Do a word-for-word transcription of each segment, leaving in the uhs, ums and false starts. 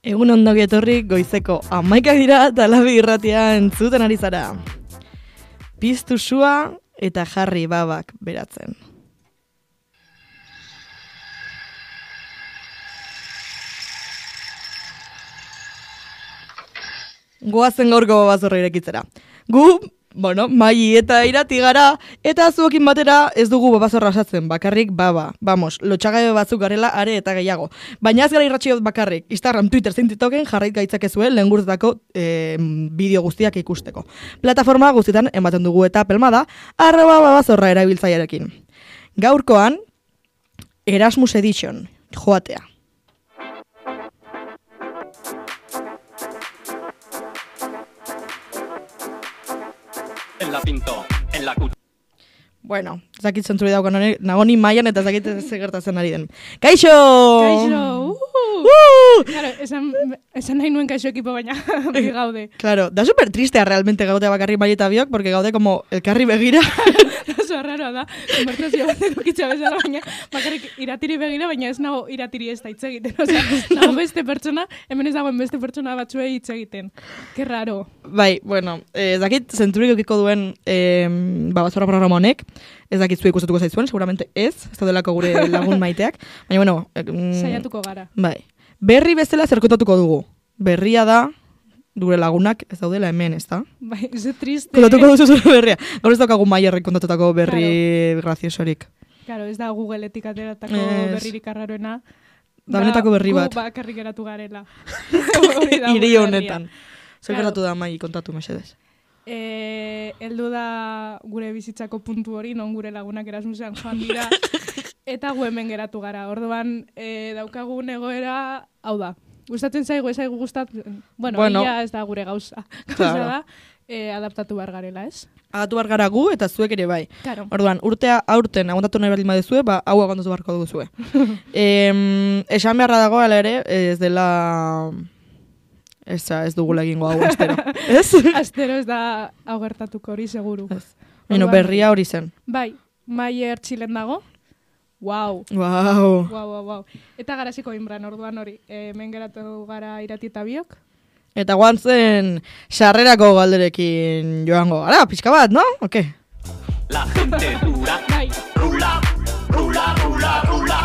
Egun ondogi etorri goizeko hamaikak dira eta Labi irratia entzuten ari zara. Piztu sua eta jarri babak beratzen. Goazen gaurko babazorra irekitzera. Gu, bueno, mai eta irati gara, eta zuekin batera ez dugu babazorra osatzen, bakarrik baba. Vamos, lotxagabe batzuk garela are eta gehiago. Baina ez gara irratxiot bakarrik, Instagram, Twitter, zein TikToken jarrait gaitzakezue lehen gurtetako e, bideo guztiak ikusteko. Plataforma guztietan ematen dugu eta pelmada, arroba babazorra erabiltzaiarekin. Gaurkoan, Erasmus Edition, joatea. En la pinto, en la cuchara. Bueno, zakit zentzuri daukan hori, nagoni maian eta zakit ze gertatzen ari den. Kaixo! Kaixo! Uh! Uh! Claro, esan, esan nahi nuen kaixo ekipo baina bi gaude. Claro, da super tristea realmente gaude bakarri mai eta biok, porque gaude como elkarri begira. Oso arraroa da, konbertsazio bat edukitza bezala, baina bakarrik iratiri begira, baina ez nago iratiri ez da hitz egiten. Osea, nago beste pertsona, hemen ez dagoen beste pertsona batzuei hitz egiten. Ke raro. Bai, bueno, ez dakit zentzurik eukiko duen eh, babazorra programa honek, ez dakit zuek gustatuko zaizuen, seguramente ez, ez daudelako gure lagun maiteak, baina bueno... Eh, mm, Saiatuko gara. Bai, berri bezala zer kontatuko dugu. Berria da, gure lagunak ez daudela hemen, ez da? Bai, ze triste. Kontatuko duzu zure berria. Gaur ez daukagu Maierrek kontatutako berri claro. Graziosorik. Claro, ez da Googleetik ateratako es... berririk arraroena. Da benetako berri bat. Gu bakarrik geratu garela. Hiri honetan. Zer gertatu da Mai, kontatu mesedez. Eh, heldu da gure bizitzako puntu hori, non gure lagunak Erasmusean joan dira, eta gu hemen geratu gara. Orduan, eh, daukagun egoera, hau da. Gustatzen zaigu, ez zaigu gustatzen. Bueno, bueno. Ia ez da gure gauza. Gauza claro. Da, eh, adaptatu behar garela, ez? Adaptatu behar gara gu, eta zuek ere bai. Claro. Orduan, urtea aurten aguantatu nahi baldin baduzue, ba, hau aguantatu beharko duzue. eh, esan beharra dago, ala ere, ez dela... Ez, ez dugula egingo hau, astero. Ez? Astero ez da hau gertatuko hori, seguru. Ez. Bueno, berria hori zen. Bai, Maier Txilen dago. Wow. Wow. Wow, wow, wow. Eta garaziko inbran, orduan hori. Hemen geratu gara irati eta biok. Eta guan zen sarrerako galderekin joango gara, pixka bat, no? Oke. La gente dura. Bai. Rula, rula, rula, rula.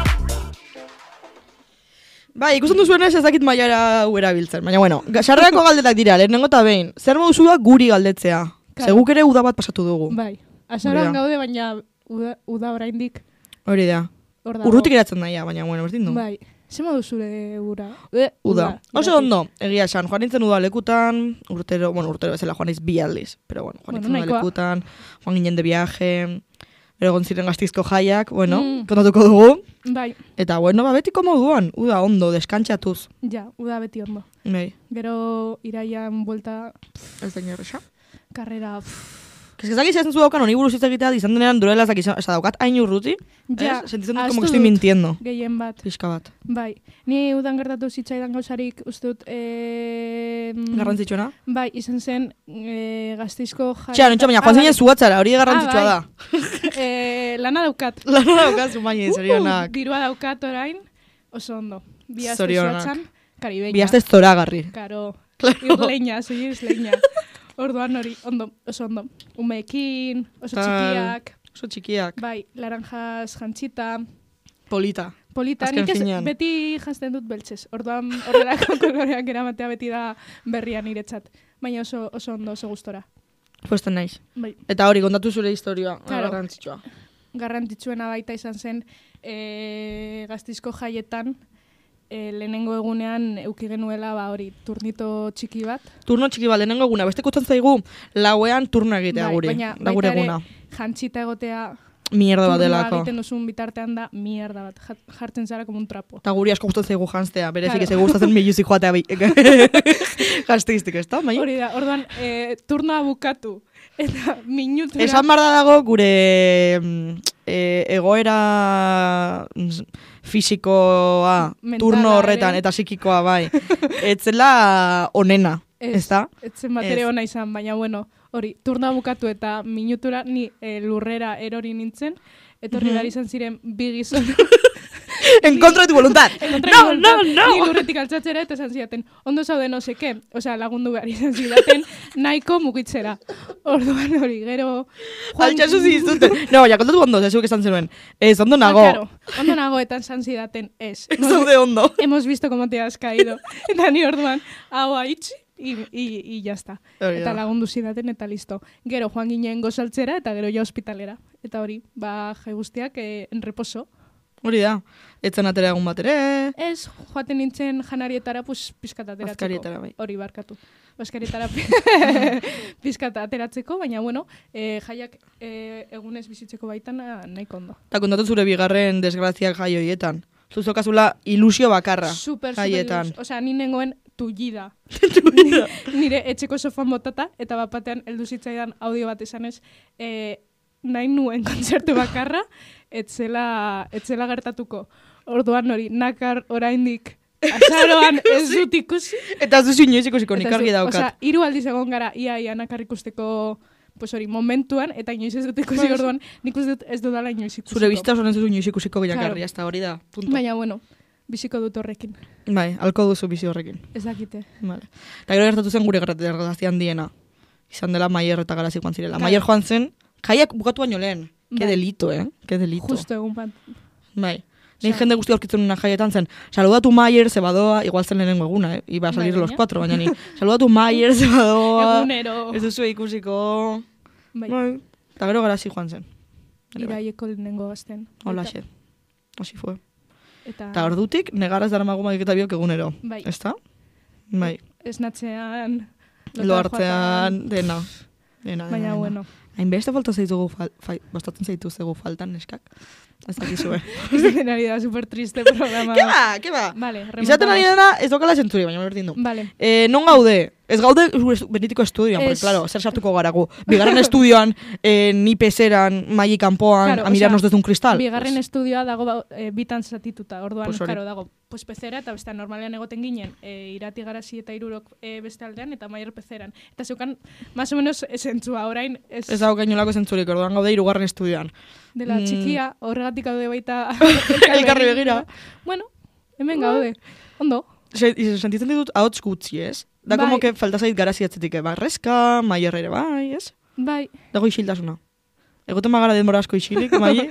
Bai, ikusten duzuen ez ezakit Maiara uera biltzen. Baina, bueno, sarrerako galdetak dira, lehenengo eta behin. Zer moduzu da guri galdetzea? Claro. Seguk ere uda bat pasatu dugu. Bai, asaran gaude, baina uda, uda oraindik. Hori da. Urrutik eratzen daia, baina, bueno, berdin du. Bai, ze modu zure ura? Uda. uda. Oso ondo, egia esan, joan nintzen uda lekutan, urtero, bueno, urtero bezala joan niz bi aldiz. Pero, bueno, joan nintzen bueno, uda lekutan, joan ginen de viaje... Ero gonziren Gastizko jaiak, bueno, mm. kontatuko dugu. Bai. Eta, bueno, ba, betiko moduan, uda ondo, deskantxatuz. Ja, uda beti ondo. Bai. Gero iraian buelta... Ez da inerresa? Karrera... Kezak izan zu daukan, honi buruz hitz egitea, izan denean duela ezak izan, eza daukat hain urruti, ja, sentitzen dut como que estoy mintiendo. Gehien bat. Fiska bat. Bai, ni udan gertatu zitzaidan gauzarik, uste dut... Eh, garrantzitsuena? Bai, izan zen eh, Gastizko jai... Txea, nontxa, baina, joan zinen zuatzara, hori garrantzitsua ah, da. eh, lana daukat. Lana daukat, zumaini, zorionak. Dirua daukat orain, oso ondo. Biazte zuatzan, karibeña. Biazte zoragarri. Karo, claro. Irleña, soy isleña. Orduan hori, ondo, oso ondo. Umeekin, oso Tal, txikiak. Oso txikiak. Bai, laranjas jantzita. Polita. Polita, Azken nik ez finean. beti jantzten dut beltzez. Orduan horrelako koloreak eramatea beti da berrian niretzat. Baina oso, oso ondo, oso gustora. Puesten naiz. Bai. Eta hori, kontatu zure historia, claro. Garrantzitsua. Garrantzitsuena baita izan zen e, Gastizko jaietan, E, lehenengo egunean euki genuela ba hori turnito txiki bat. Turno txiki bat lehenengo eguna, beste kutzen zaigu lauean turno egitea bai, guri, baina, da gure eguna. Jantzita egotea mierda bat delako. Turnoa egiten duzun bitartean da mierda bat, jartzen zara como un trapo. Eta guri asko gustatzen zaigu jantztea, berezik claro. Ez gustatzen miluzik joatea bi. Jantzteiztik, ez da, mai? Hori da, orduan e, turnoa bukatu. Eta minutura... Esan barda dago gure e, egoera fisikoa Mentala, turno horretan ere. Eta psikikoa bai. Etzela onena, ez da? Etzen bat ere ona izan, baina bueno, hori, turnoa bukatu eta minutura ni e, lurrera erori nintzen, etorri behar izan ziren bi gizon En contra de tu voluntad. No, no, no. Ni lurretik altzatzera eta esan zidaten, ondo zaude no seke, osea, lagundu behar izan zidaten, nahiko mugitzera. Orduan hori, gero... Altxasu zizuten. No, ja, kontatu ondo, zezuk esan zenuen. Ez, ondo nago. Ah, claro, ondo nago eta esan zidaten, ez. Ez zaude ondo. Hemos visto cómo te has caído. Eta ni orduan, hau haitzi, y, y, y ya está. Hori Eta da. lagundu zidaten eta listo. Gero joan ginen gozaltzera eta gero ja ospitalera. Eta hori, ba, jai guztiak eh, en reposo. Hori da. Etzen atera egun bat ere. Ez, joaten nintzen janarietara, pues, pizkat ateratzeko. Bazkarietara, bai. Hori, barkatu. Baskarietara pizkat ateratzeko, baina, bueno, eh, jaiak eh, egunez bizitzeko baitan ah, nahiko ondo. Eta kontatu zure bigarren desgraziak jai horietan. Zuzokazula ilusio bakarra Super, super jaietan. ilus. Osea, ni nengoen tullida. Tullida. Nire etxeko sofan botata, eta bapatean heldu zitzaidan audio bat esanez, eh, nahi nuen kontzertu bakarra, etzela, etzela gertatuko. Orduan hori, nakar oraindik azaroan ez dut ikusi. Eta zuzu inoiz ikusiko nik Eta ez argi dut- daukat. Osea, hiru aldiz egon gara ia ia nakar ikusteko pues hori, momentuan, eta inoiz ez dut ikusi Bai. orduan, nik uste dut ez dudala inoiz ikusiko. Zure bizta osoren zuzu inoiz ikusiko gilakarria, Claro. ez da hori da. Punto. Baina, bueno, biziko dut horrekin. Bai, alko duzu bizi horrekin. Ez dakite. Vale. Eta gero gertatu zen gure gertazian diena. Izan dela Maier eta Garazi joan zirela. Claro. Maier joan zen, jaiak bukatu baino lehen. Ke Bai. delito, eh? Ke delito. Justo egun bat. Bai. Nein Osea- jende guzti aurkitzen nuna jaietan zen, saludatu Maier, ze badoa, igual zen lehenengo eguna, eh? Iba a salir Bai, los baina. cuatro, baina ni. Saludatu Maier, ze badoa. Egunero. Ez duzu ikusiko. Bai, Bai. Eta gero Garazi joan zen. Ere bai. iraieko lehenengo gazten. Hola, Eta- xe. Asi fue. Eta, Eta ordutik, negaraz dara magu magiketa biok egunero. Bai. Ezta? Bai. esnatzean, Lo hartzean, dena. Dena, dena, baina, dena. bueno. Hainbeste falta zaitugu, fal, fai, bastatzen zaitu zegu faltan, neskak. Ez dakizue. Ez den ari da super triste programa. Ke ba, ke ba? Vale, Izaten ari remontamos. dena, ez dokala zentzuri, baina berdin du. Vale. Eh, non gaude? Ez gaude gure estu- benetiko estudioan, porque, Ez. claro, zer sartuko gara gu. Bigarren estudioan, eh, ni peseran, maili kanpoan, Claro, a mirarnos osea, desde un cristal. Bigarren Pues, estudioa dago ba, e, bitan zatituta. Orduan, Pues hori. claro, dago pues pezera eta beste normalean egoten ginen e, irati garazi eta irurok e, beste aldean eta maior pezeran. Eta zeukan, más o menos esentzua, orain ez, ez dago gainolako zentzurik, orduan gaude hirugarren estudioan. dela mm. txikia, horregatik gaude baita Elkarri begira. Bueno, hemen gaude. Ondo. Se, sentitzen ditut ahots gutxi, ez? Da Bai. como que falta zait Garazi atzetik, eh, barrezka, Maier ere bai, ez? Bai, Dago isiltasuna. Egoten magara denbora asko isilik, mai,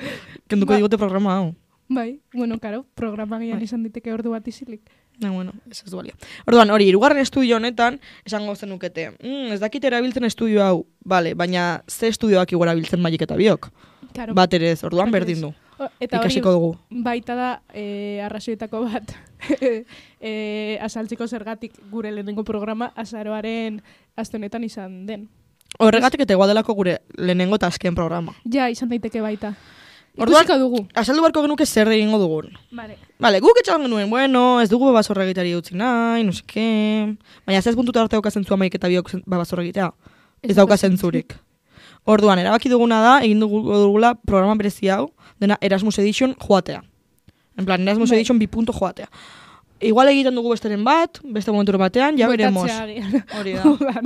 kenduko Ba. digote programa hau. bai. Bueno, karo, programa gian Bai. izan diteke ordu bat isilik. Na, bueno, ez ez du balio. Orduan, hori, hirugarren estudio honetan, esango zenukete, mm, ez dakit erabiltzen estudio hau, bale, baina ze estudioak igo erabiltzen maik eta biok? Karo. Bat ere ez, orduan Bat berdin ez. du. O, eta hori Ikasiko dugu. baita da e, arrazoietako bat e, asaltziko zergatik gure lehenengo programa azaroaren astenetan izan den. Horregatik eta igual delako gure lehenengo eta azken programa. Ja, izan daiteke baita. Orduan- Ikusiko dugu. Azaldu barko genuke zer egingo dugun. Vale. Vale, guk etxaban genuen, bueno, ez dugu babazorra egitari utzi nahi, no seke... Baina ez puntuta arte dauka zentzua maik eta biok zen- babazorra egitea. Ez dauka zentzurik. Orduan, erabaki duguna da, egin dugu dugula programa berezi hau, dena Erasmus Edition joatea. En plan, Erasmus Bai. Edition bi punto joatea. Igual egiten dugu besteren bat, beste momentu batean, ja veremos. Bueltatzea agian. Hori da. Udan.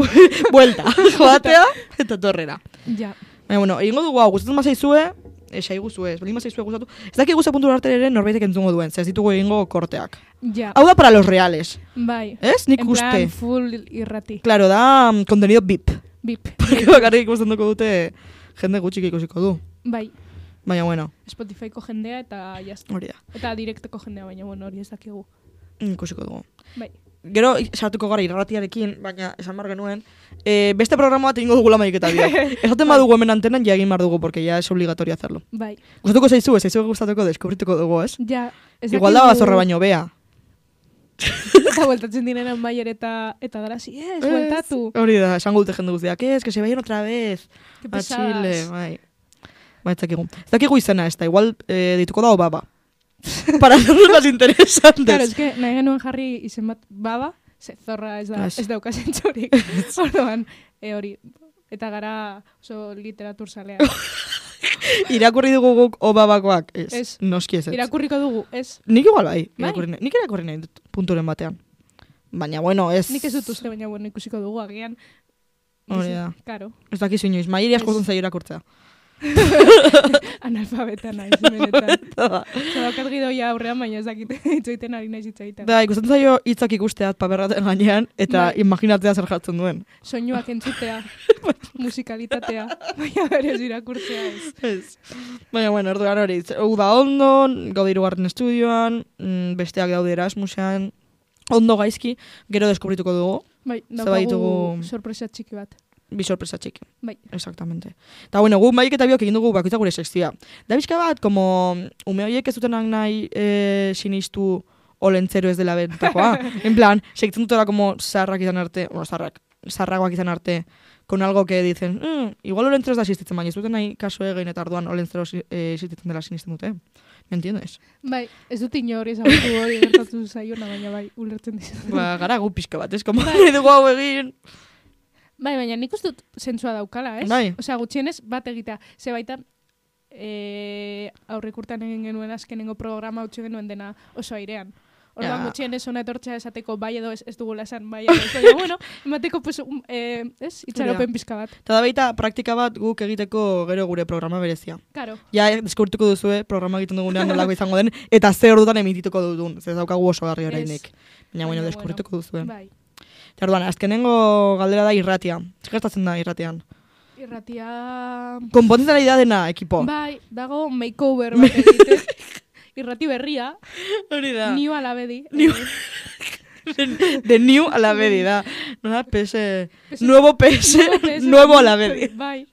Buelta, joatea eta torrera. Ja. Baina, bueno, egingo dugu hau, gustatzen mazaizue, esai guzue, ez, baldin mazaizue gustatu. Ez dakik guzti puntu arte ere norbaitek entzungo duen, ze ez ditugu egingo korteak. Ja. Hau da para los reales, Bai. ez? Nik En uste. plan, full irrati. Claro, da mm, contenido V I P. Bip. Porque bakarrik ikusten duko dute jende gutxik ikusiko du. Bai. Baina, bueno, Spotifyko jendea eta jazta. hori da, Eta direkteko jendea, baina bueno, hori ez dakigu. ikusiko dugu. Bai. Gero, sartuko gara irratiarekin, baina esan bar genuen, e, beste programa bat egingo dugula maik eta biok. Esaten badugu hemen antenan, ja egin bar dugu, porque ya es obligatorio hacerlo. Bai. Gustatuko zaizu, ez zaizu gustatuko, deskubrituko dugu, ez? Ja. Ez Igual da dakigu- bazorra baino bea. Eta bueltatzen direnan Maier eta eta Garazi, ez, bueltatu. Hori da, esango dute jende guztiak, ez, que se vayan otra vez. Que A pesadas. Chile, bai. Ba, ez dakigu. Ez dakigu izena, ez da, igual eh, dituko da baba. Para hacernos más interesantes. Claro, es que nahi genuen jarri izen bat baba, ze zorra ez da, Ez. ez dauka zentzurik. Orduan, e, hori, eta gara oso literatur zalea. Irakurri dugu guk obabakoak, ez. Ez. Noski ez. ez. Irakurriko dugu, ez? Nik igual bai, Bai? irakurri nahi. Nik irakurri nahi dut punturen batean. Baina, bueno, ez... Nik ez dut uste, baina bueno, ikusiko dugu agian. Hori da. Karo. Ez dakizu inoiz, mairi asko Ez. dut zaio irakurtzea. Analfabeta naiz, benetan. Zabakat gidoia aurrean, baina ez dakit itzoiten ari naiz itzoiten. Da, ikusten zaio hitzak ikusteat paperraten gainean, eta Bai. imaginatzea zer jartzen duen. Soinuak entzutea, musikalitatea, baina berez irakurtzea ez. Ez. Baina, bueno, orduan hori, uda ondo, gaude hirugarren estudioan, mm, besteak daude Erasmusean, ondo gaizki, gero deskubrituko dugu. Bai, Zerbait daukagu ditugu- sorpresa txiki bat. Bi sorpresa txiki. Bai. Exactamente. Eta bueno, gu maik eta biok egin dugu bakoitza gure sekzioa. Da bizka bat, como ume horiek ez dutenak nahi e, sinistu olentzero ez dela bentakoa. En plan, segitzen dutela como zarrak izan arte, bueno, zarrak, zarragoak izan arte, con algo que dicen, mm, igual olentzero ez da existitzen, baina ez duten nahi kaso egin eta orduan olentzero eh, existitzen dela sinisten dute. Me entiendes? Bai, ez dut inori ezagutu hori gertatu zaiona, baina bai, ulertzen dizut. Ba, gara gu pixka bat, ez? Como nahi dugu hau egin. Bai, baina nik uste dut zentzua daukala, ez? Bai. Osea, gutxienez bat egitea. Ze baita, e, aurrekurtan egin genuen azkenengo programa utzi genuen dena oso airean. Orduan Ja. gutxienez hona etortzea esateko bai edo ez, ez dugula esan bai edo ez. Baina, bueno, emateko, pues, um, eh, ez? Itxaropen pizka bat. Eta da baita praktika bat guk egiteko gero gure programa berezia. Karo. Ja, deskurtuko duzue, programa egiten dugunean nolako izango den, eta ze ordutan emitituko dudun, ez daukagu oso garri orainik. Baina, bueno, Baina, deskurtuko duzue. Bai. Eta orduan, azkenengo galdera da irratia. Zer gertatzen da irratian? Irratia... Konpontzen ari da dena, ekipo. Bai, dago makeover bat egiten. Irrati berria, Hori da. new alabedi. New- Eh, De new a la bedi, da. Nola, P S... P S Nuevo P S, nuevo P S, nuevo a la bedi. Bai.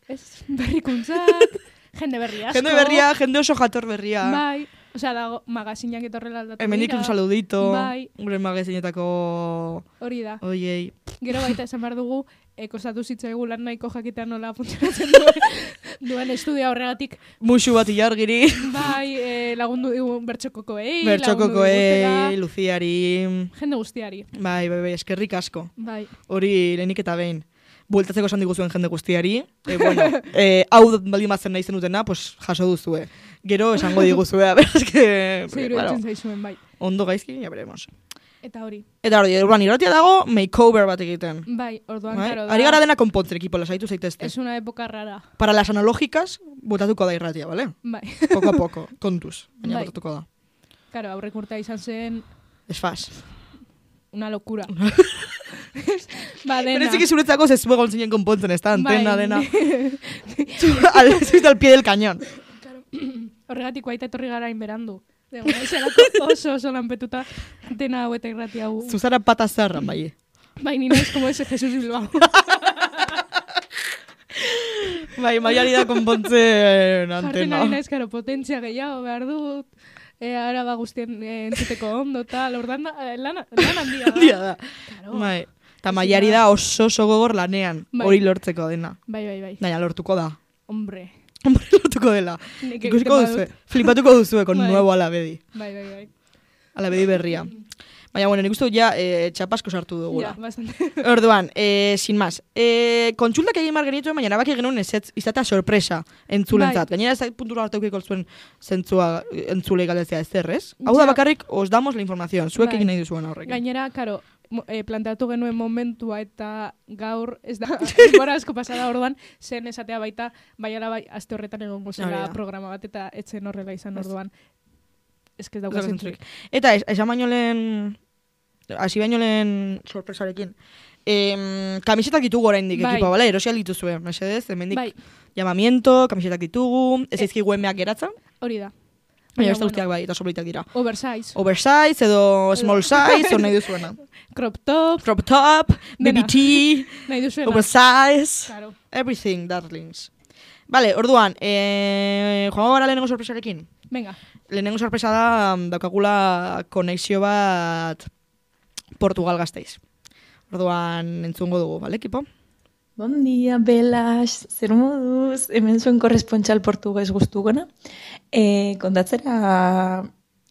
Ez berrikuntzak, jende berri asko. Jende berria, jende oso jator berria. Bai. Osea, dago magazinak etorrela aldatu Hemendik dira. un saludito. Bai. Gure magazinetako... Hori da. Oiei. Gero baita esan behar dugu, e, kostatu zitzaigu lan nahiko jakitea nola funtzionatzen duen, duen estudia horregatik. Musu bat ilargiri. Bai, e, lagundu digu bertxokokoei, Bertxokokoi, Luziari... jende guztiari. Bai, bai, bai, eskerrik asko. Bai. Hori lehenik eta behin. Bueltatzeko esan diguzuen jende guztiari. E, bueno, e, hau baldin bazen nahi zenutena, pues jaso duzue. Gero esango diguzue, a ver, eske... Zer iruditzen zaizuen, bai. Ondo gaizki, ya veremos. Eta hori. Eta hori, urban irratia dago, makeover bat egiten. Bai, orduan, Bai? karo, Ari gara dena konpontzen ekipo, lasaitu zaitezte. es una época rara. Para las analógicas, botatuko da irratia, ¿vale? Bai. Poco a poco, kontuz, baina Bai. botatuko da. Karo, aurrek urtea izan zen Es faz. una locura. ba, dena. Berezik izuretzako zezu egon zinen konpontzen, ez da, antena, Bai. dena. al, zuita al pie del cañón. Horregatik baita etorri gara inberandu. Dego, zelako oso oso lanpetuta dena hau eta irrati hau. Zuzara pata zarran, bai. Bai, ni naiz como ese Jesús Bilbao. Bai, maiari da konpontzen Jartzen antena. ari naiz, karo, potentzia gehiago behar dut. E, araba guztien e, entzuteko ondo, tal, ordan eh, lan, lan handia da. Handia da. Claro. Bai. Eta maiari da oso oso gogor lanean, Bai. hori lortzeko dena. Bai, bai, bai. Baina lortuko da. Hombre. Hombre, lortuko dela. Nik Ikusiko egiten duzue, badut. flipatuko duzue con Bai. nuevo alabedi. Bai, bai, bai. Alabedi berria. Baina, bueno, nik uste dut ja eh, txapasko sartu dugula. Ja, bastante. Orduan, eh, sin más. Eh, kontsultak egin mar genituen, baina nabaki genuen ezetz, izatea sorpresa entzulentzat. Gainera ez puntura arte eukiko zuen zentzua entzulei galdezea ez zerrez. Hau da Ja. bakarrik, os damos la información. Zuek Bai. egin nahi duzuen horrekin. Gainera, karo, mo- eh, planteatu genuen momentua eta gaur, ez da, denbora asko pasada orduan, zen esatea baita, baiala bai, aste horretan egongo Hori zela da. programa bat, eta etzen horrela izan Ez. orduan. Ez que ez Ez dauka dauka zentzurik. Eta es, esan baino lehen, hasi baino lehen sorpresarekin. Em, kamisetak ditugu oraindik Bai. ekipa, bale? Erosial dituzue, mesedez, hemendik Bai, llamamiento, kamisetak ditugu, ez zaizkigu emeak geratzen, hori da. baina Baina, beste guztiak bai, eta sobritak dira. Oversize, Oversize edo small size, o nahi duzuena. crop top, Crop top, Dena. B B T, nahi duzuena. oversize, Claro. everything, darlings. Vale, orduan, eh, joango gara lehenengo sorpresarekin. Venga, Lehenengo sorpresa da, mm, daukagula konexio bat Portugal Gasteiz. Orduan, entzungo dugu, bale, ekipo? Bon dia, Belas, zer moduz, hemen zuen korrespontxal portugues guztugona. E, kontatzera,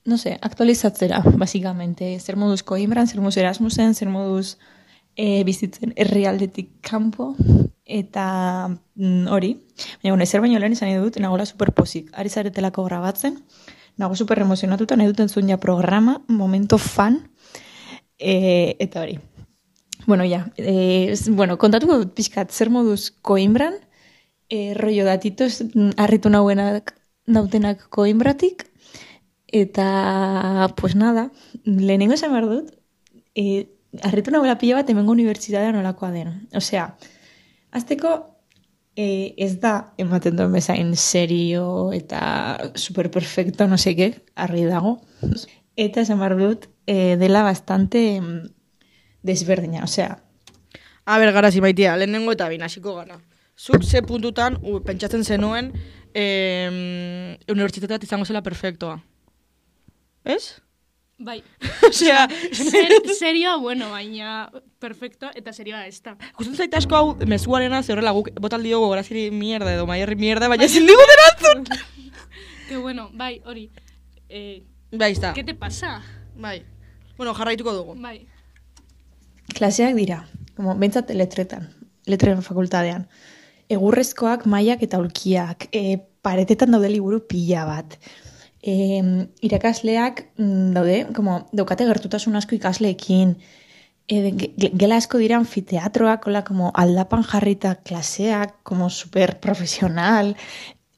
no sé, aktualizatzera, basikamente. Zer moduz Coimbran, zer moduz Erasmusen, zer moduz e, bizitzen herrialdetik kanpo, eta mm, hori. Baina, bueno, ezer baino lehen izan nahi dut, nagola superpozik. Ari zaretelako grabatzen, nago super emozionatuta, nahi duten zuen ja programa, momento fan, e, eta hori. Bueno, ja, eh, bueno, kontatuko dut pixkat zer moduz Coimbran, e, rollo datitos mm, harritu nauenak nautenak Coimbratik, eta, pues nada, lehenengo esan behar dut, e, harritu nauela pila bat hemengo unibertsitatea nolakoa den. Osea, azteko e, ez da ematen duen bezain serio eta superperfecto, no seke, argi dago. Eta esan behar dut, e, dela bastante mm, desberdina, osea. A ber, garazi maitia, lehenengo eta bin hasiko gara. Zuk ze puntutan u, pentsatzen zenuen eh, unibertsitatea izango zela perfectoa. Ez? Bai. Osea, Ser, serioa, bueno, baina perfecto eta serioa ez da. gustatzen zait asko hau mezuarena, ze horrela guk botaldi dugu graziri mierda edo maierri mierda, baina ezin digu erantzun. Que bueno, bai, hori. Eh, Bai, izta. ¿Qué te pasa? Bai. Bueno, jarraituko dugu. Bai. Klaseak dira, como bentsat letretan, letren fakultadean. Egurrezkoak, mailak eta ulkiak, e, paretetan daude liburu pila bat. E, irakasleak mm, daude, como, daukate gertutasun asko ikasleekin, e, ge- gela asko dira anfiteatroak, hola, como aldapan jarrita klaseak, como super profesional,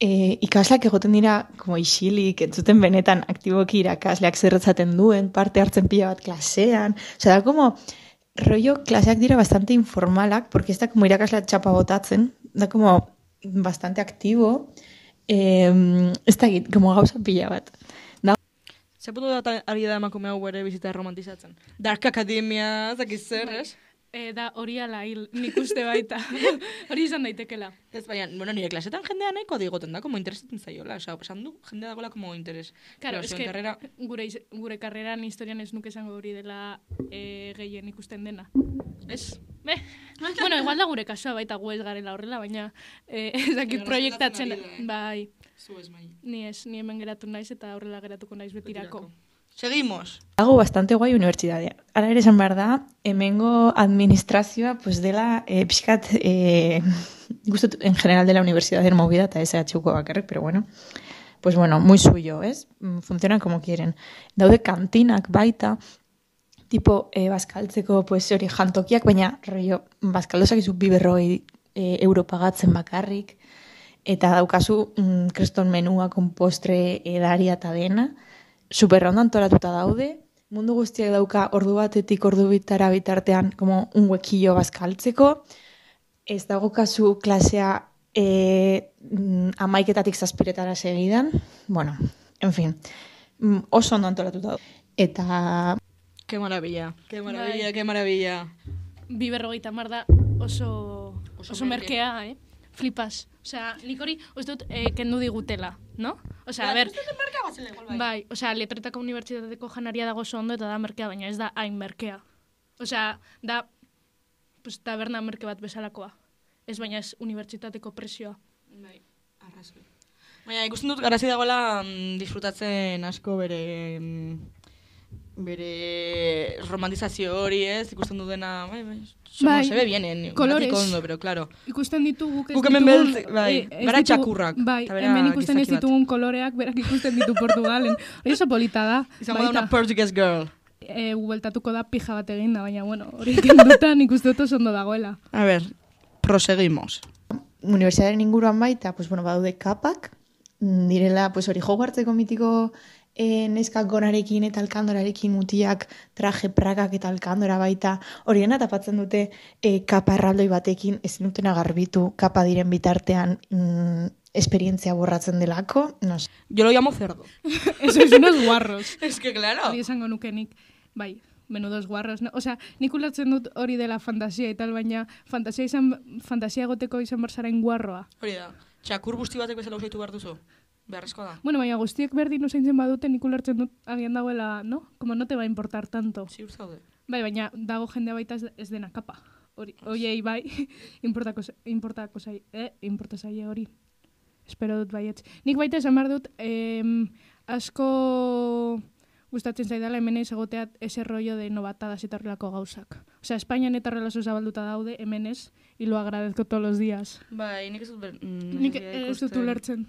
e, ikasleak egoten dira, como isilik, entzuten benetan aktiboki irakasleak zerretzaten duen, parte hartzen pila bat klasean, osea, da, como, rollo klaseak dira bastante informalak, porque ez da como irakaslea txapa botatzen, da como bastante aktibo, eh, ez da egit, como gauza pila bat. Da, Ze puntu da ari da emakume hau ere bizita romantizatzen? Dark Academia, zakiz zer, ez? E, da hori ala hil, nik uste baita. Hori izan daitekela. Ez, baina, bueno, nire klasetan jendea nahiko digoten da, como interesatzen zaiola, osea, esan du, jendea dagoela como interes. Claro, Pero es zuen que karrera, gure, iz- gure karreran historian ez nuke esango hori dela e, gehien ikusten dena. ez? Be, bueno, igual da gure kasua baita gu ez garela horrela, baina eh, ez dakit Baina proiektatzen, errespetatzen ari da, eh? bai, Zu ez, mai. ni ez, ni hemen geratu naiz eta horrela geratuko naiz betirako. Seguimos. dago bastante guai unibertsitatea. Ara ere esan behar da, hemengo administrazioa, pues dela, eh, pixkat, eh, gustot en general de la universidad de movida, eta S H Uko bakarrik, pero bueno, pues bueno, muy suyo, ¿es? Mm, Funcionan como quieren. Daude kantinak baita, tipo, eh, bazkaltzeko, pues hori jantokiak, baina, rollo, bazkaldozak izu bi berrogei eh, euro pagatzen bakarrik, eta daukazu mm, kriston menua, konpostre, edaria eta dena, superrondo antolatuta daude, mundu guztiak dauka ordu batetik ordu bitara bitartean como un huekillo bazkaltzeko, ez dago kasu klasea e, mm, amaiketatik zazpiretara segidan, bueno, en fin, mm, oso ondo antolatuta daude. Eta Qué maravilla, qué maravilla, Bai. qué maravilla. Bi berrogeita hamar da oso, Oso oso, merke. merkea, eh? Flipas. Osea, nik hori, uste dut, eh, kendu digutela, no? Osea, a ber, bai, osea, letretako unibertsitateko janaria dago oso ondo eta da merkea, baina ez da hain merkea. Osea, da, pues, taberna merke bat bezalakoa. Ez baina ez unibertsitateko presioa. Bai, arrazoi. Baina ikusten dut garazi dagoela mm, disfrutatzen asko bere mm, bere romantizazio hori, ez? Ikusten dut dena, bai, bai, somo, Bai, se ve bien, en kolorez. ondo, pero claro. Ikusten ditugu, ez Guk hemen ditugun- beltz- bai, eh, ez gara ditugu- txakurrak, Bai, eta bera hemen ikusten ez gizaki bat. ditugun koloreak, berak ikusten ditu Portugalen. Hori oso polita da. Izango da una Portuguese girl. E, bueltatuko da pija bat eginda, baina bueno, hori kendutan ikusten dut oso ondo dagoela. A ver, proseguimos. unibertsitatearen inguruan baita, pues bueno, badaude kapak, mm, direla, pues hori Hogwartseko mitiko eh, neskak gonarekin eta alkandorarekin mutiak traje prakak eta alkandora baita, hori dena tapatzen dute eh, kapa erraldoi batekin ezin dutena garbitu, kapa diren bitartean mm, esperientzia borratzen delako, no sé. Yo lo llamo cerdo. Eso es unos guarros. Es que claro. Hori esango nuke nik, bai, menudos guarros. No? Osea, nik ulertzen dut hori dela fantasia eta baina fantasia izan fantasia egoteko izan barzarain guarroa. Hori da. Txakur guzti batek bezala usaitu behar duzu. Beharrezkoa da. Bueno, baina guztiek berdin usaintzen badute nik ulertzen dut agian dagoela, no? Como no te va a importar tanto. Ziur zaude. Bai, baina dago jendea baita ez, ez dena kapa. Hori, hoiei bai, importako, importako zai, eh, importa zaie hori. Espero dut baietz. Nik baita esan behar dut, em, asko gustatzen zaidala hemen ez egotea ese rollo de novatadas eta horrelako gauzak. Osea, Espainian eta horrela oso zabalduta daude, hemen ez, y lo agradezco todos los días. Bai, nik ez dut... ber- mm, Nik ez dut ez dut ikusten. ulertzen.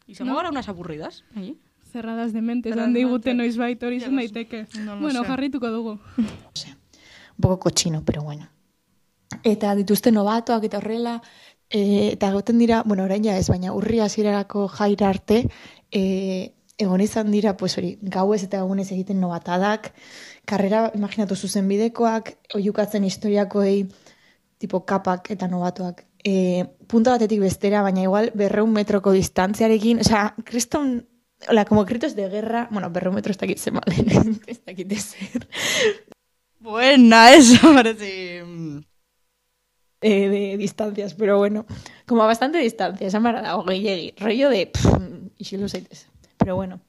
Izango No? gara unas aburridas, allí? Cerradas de mente, Cerradas esan de digute mente. noiz baita hori Ya izan lo sé. daiteke. No lo Bueno, sé. jarrituko dugu. Un poco cochino, pero bueno. Eta dituzte novatoak eta horrela, E, eta goten dira, bueno, orain ja ez, baina urri hasierarako jaira arte, e, egon izan dira, pues hori, gauez eta egunez egiten nobatadak, karrera, imaginatu zuzenbidekoak, oiukatzen historiakoei, tipo kapak eta nobatuak. E, punta batetik bestera, baina igual berreun metroko distantziarekin, osea, kriston, hola, como gritos de guerra, bueno, berreun metro ez dakit zen balen, ez dakit ezer. Buena, eso parece... Eh, de distancias, pero bueno, como a bastante distancia, esan barra dago gehiegi, rollo de, pff, ixilu zaitez. Pero bueno,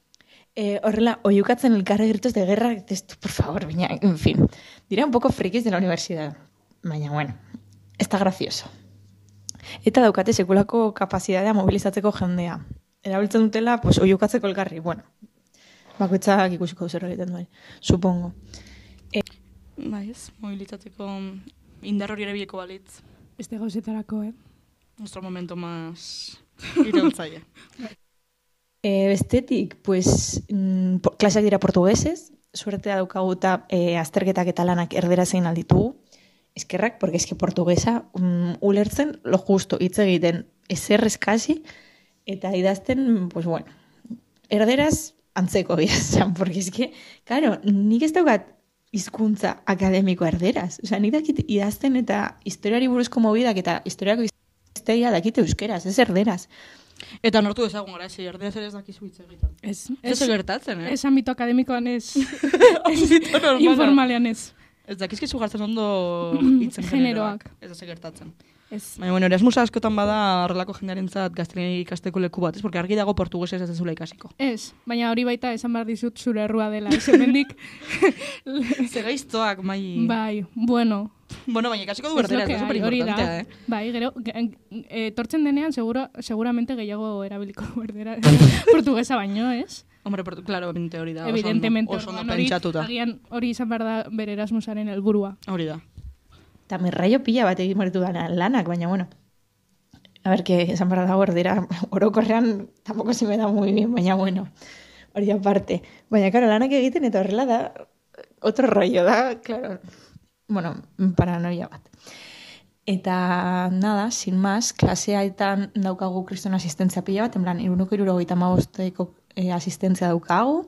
eh, horrela, oiukatzen elkarre gritos de guerra, esto, por favor, baina, en fin, diré un poco frikis de la universidad, baina, bueno, está gracioso. Eta daukate sekulako kapazitatea mobilizatzeko jendea. Erabiltzen dutela, pues, oiukatzeko elkarri, bueno, bakoitzak ikusiko zer egiten duen, supongo. Eh, Bai ez, mobilizatzeko indar hori ere bileko balitz. Este gauzetarako, eh? Nuestro momento más irautzaile. E, bestetik, pues, mm, klaseak dira portuguesez, suertea daukagu eta e, azterketak eta lanak erdera zein alditugu. Eskerrak, porque eske portuguesa mm, ulertzen lo justo hitz egiten ezer eskasi, eta idazten, pues bueno, erderaz antzeko bidazan, porque eske, claro, nik ez daukat hizkuntza akademiko erderaz. Osea, nik dakit idazten eta historiari buruzko mobidak eta historiako iztegia dakite euskeraz, ez erderaz. Eta nortu dezagun gara, ezi, erderaz ere ez dakizu hitz egiten. Ez, Ez gertatzen, eh? Ez ambito akademikoan ez, Ambito normala. informalean ez. Ez dakizkizu gartzen ondo hitzen Generoak. Ez da gertatzen. Ez. Baina, bueno, Erasmus askotan bada horrelako jendearentzat gaztelania ikasteko leku bat, ez? Porque argi dago portugesez ez ezula ikasiko. Ez, baina hori baita esan behar dizut zure errua dela. Ez hemendik, Zegaiztoak, mai... bai, bueno. Bueno, baina ikasiko du Ez berdera, lo que ez da hay, hori da. superimportantea, eh? Bai, gero, e, etortzen denean, seguro, seguramente gehiago erabiliko du berdera. Portugesa baino, ez? Hombre, portu, claro, obviamente hori da. oso ondo- Evidentemente, Oso ondo orduan hori, pentsatuta. agian hori izan behar da bere Erasmusaren helburua. Hori da. Eta mirraio pila bat egin maritu dana lanak, baina bueno. A ver, que esan barra dago erdera, orokorrean tampoco se me da muy bien, baina bueno, hori aparte. Baina, claro, lanak egiten eta horrela da, otro rollo da, claro, bueno, paranoia bat. Eta, nada, sin más, klaseaetan daukagu kriston asistentzia pila bat, en plan, iruneko irurogeita hamabosteko eh, asistentzia daukagu,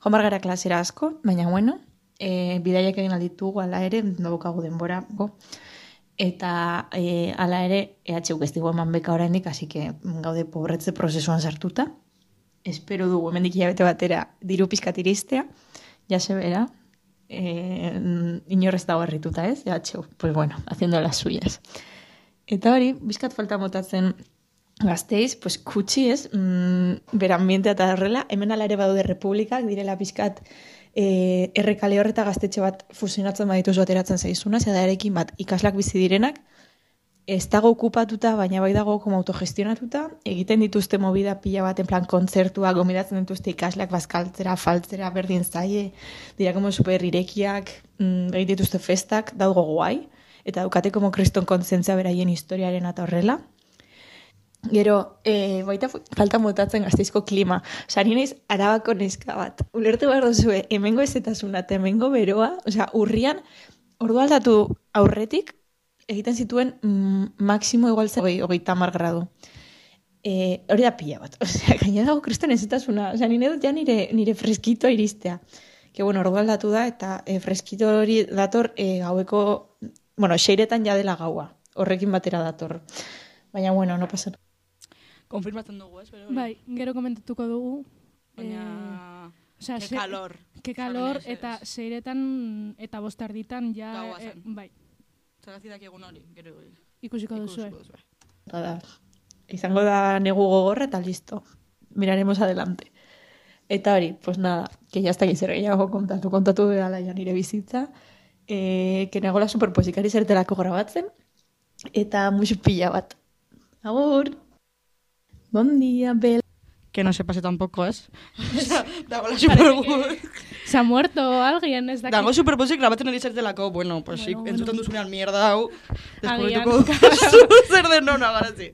joan bar gara klasera asko, baina bueno, eh, bidaiak egin alditugu, ala ere, daukagu denbora, go. Eta e, ala ere, E H U ez digu eman beka oraindik, así que gaude pobretze prozesuan sartuta. Espero dugu hemendik hilabete batera diru pizkat iristea, ya se verá. Eh, inorrez dago herrituta, ez? E H U, pues bueno, haciendo las suyas. Eta hori, bizkat falta motatzen gazteiz, pues kutsi, ez? Mm, beranbientea eta horrela, hemen ala ere badaude republikak, direla bizkat E, errekale horreta gaztetxe bat fusionatzen badituz bateratzen zaizuna, zedarekin bat ikaslak bizi direnak, ez dago okupatuta, baina bai dago como autogestionatuta, egiten dituzte movida pila bat, en plan kontzertua, gomidatzen dituzte ikaslak bazkaltzera, faltzera, berdin zaie, dira como super irekiak, mm, egiten dituzte festak, dago guai, eta daukate como kriston kontzientzia beraien historiaren eta horrela. Gero, e, baita falta motatzen gazteizko klima. Osa, ni naiz Arabako neska bat. Ulertu behar duzue, hemengo ezetasuna eta hemengo beroa, osea, urrian, ordu aldatu aurretik, egiten zituen mm, maksimo igual zen hogeita hamar gradu. E, hori da pila bat. Osea, gaina dago kriston ezetasuna. Osea, nire dut ja nire, nire freskito iristea. Que bueno, ordu aldatu da, eta e, freskito hori dator e, gaueko, bueno, seiretan ja dela gaua. Horrekin batera dator. Baina, bueno, no pasa. Konfirmatzen dugu, ez? Pero, Bai, gero komentatuko dugu. Baina... Eh, osea, Ke se- calor. Ke calor, Esan eta ez. seiretan eta bostarditan ja... Gaua eh, zen. bai, Zagazidak egun hori, gero... ikusiko duzue. ikusiko duzue. Da, izango da negu gogorra eta listo. Miraremos adelante. Eta hori, pues nada, que ya está aquí zer gehiago kontatu, kontatu dela ja nire bizitza. Eh, que nagola superposikari zertelako grabatzen. Eta musu pila bat. Agur! Bon dia, Bel. Que no se pase tampoco, ez? Osea, dagoela super... Se ha muerto alguien, ez dakit. Dago superposik grabatzen ari zertelako, bueno, pues Bueno, bueno, entzuten bueno. duzunean mierda hau, Agian. deskubrituko duzu zer den nona garazi.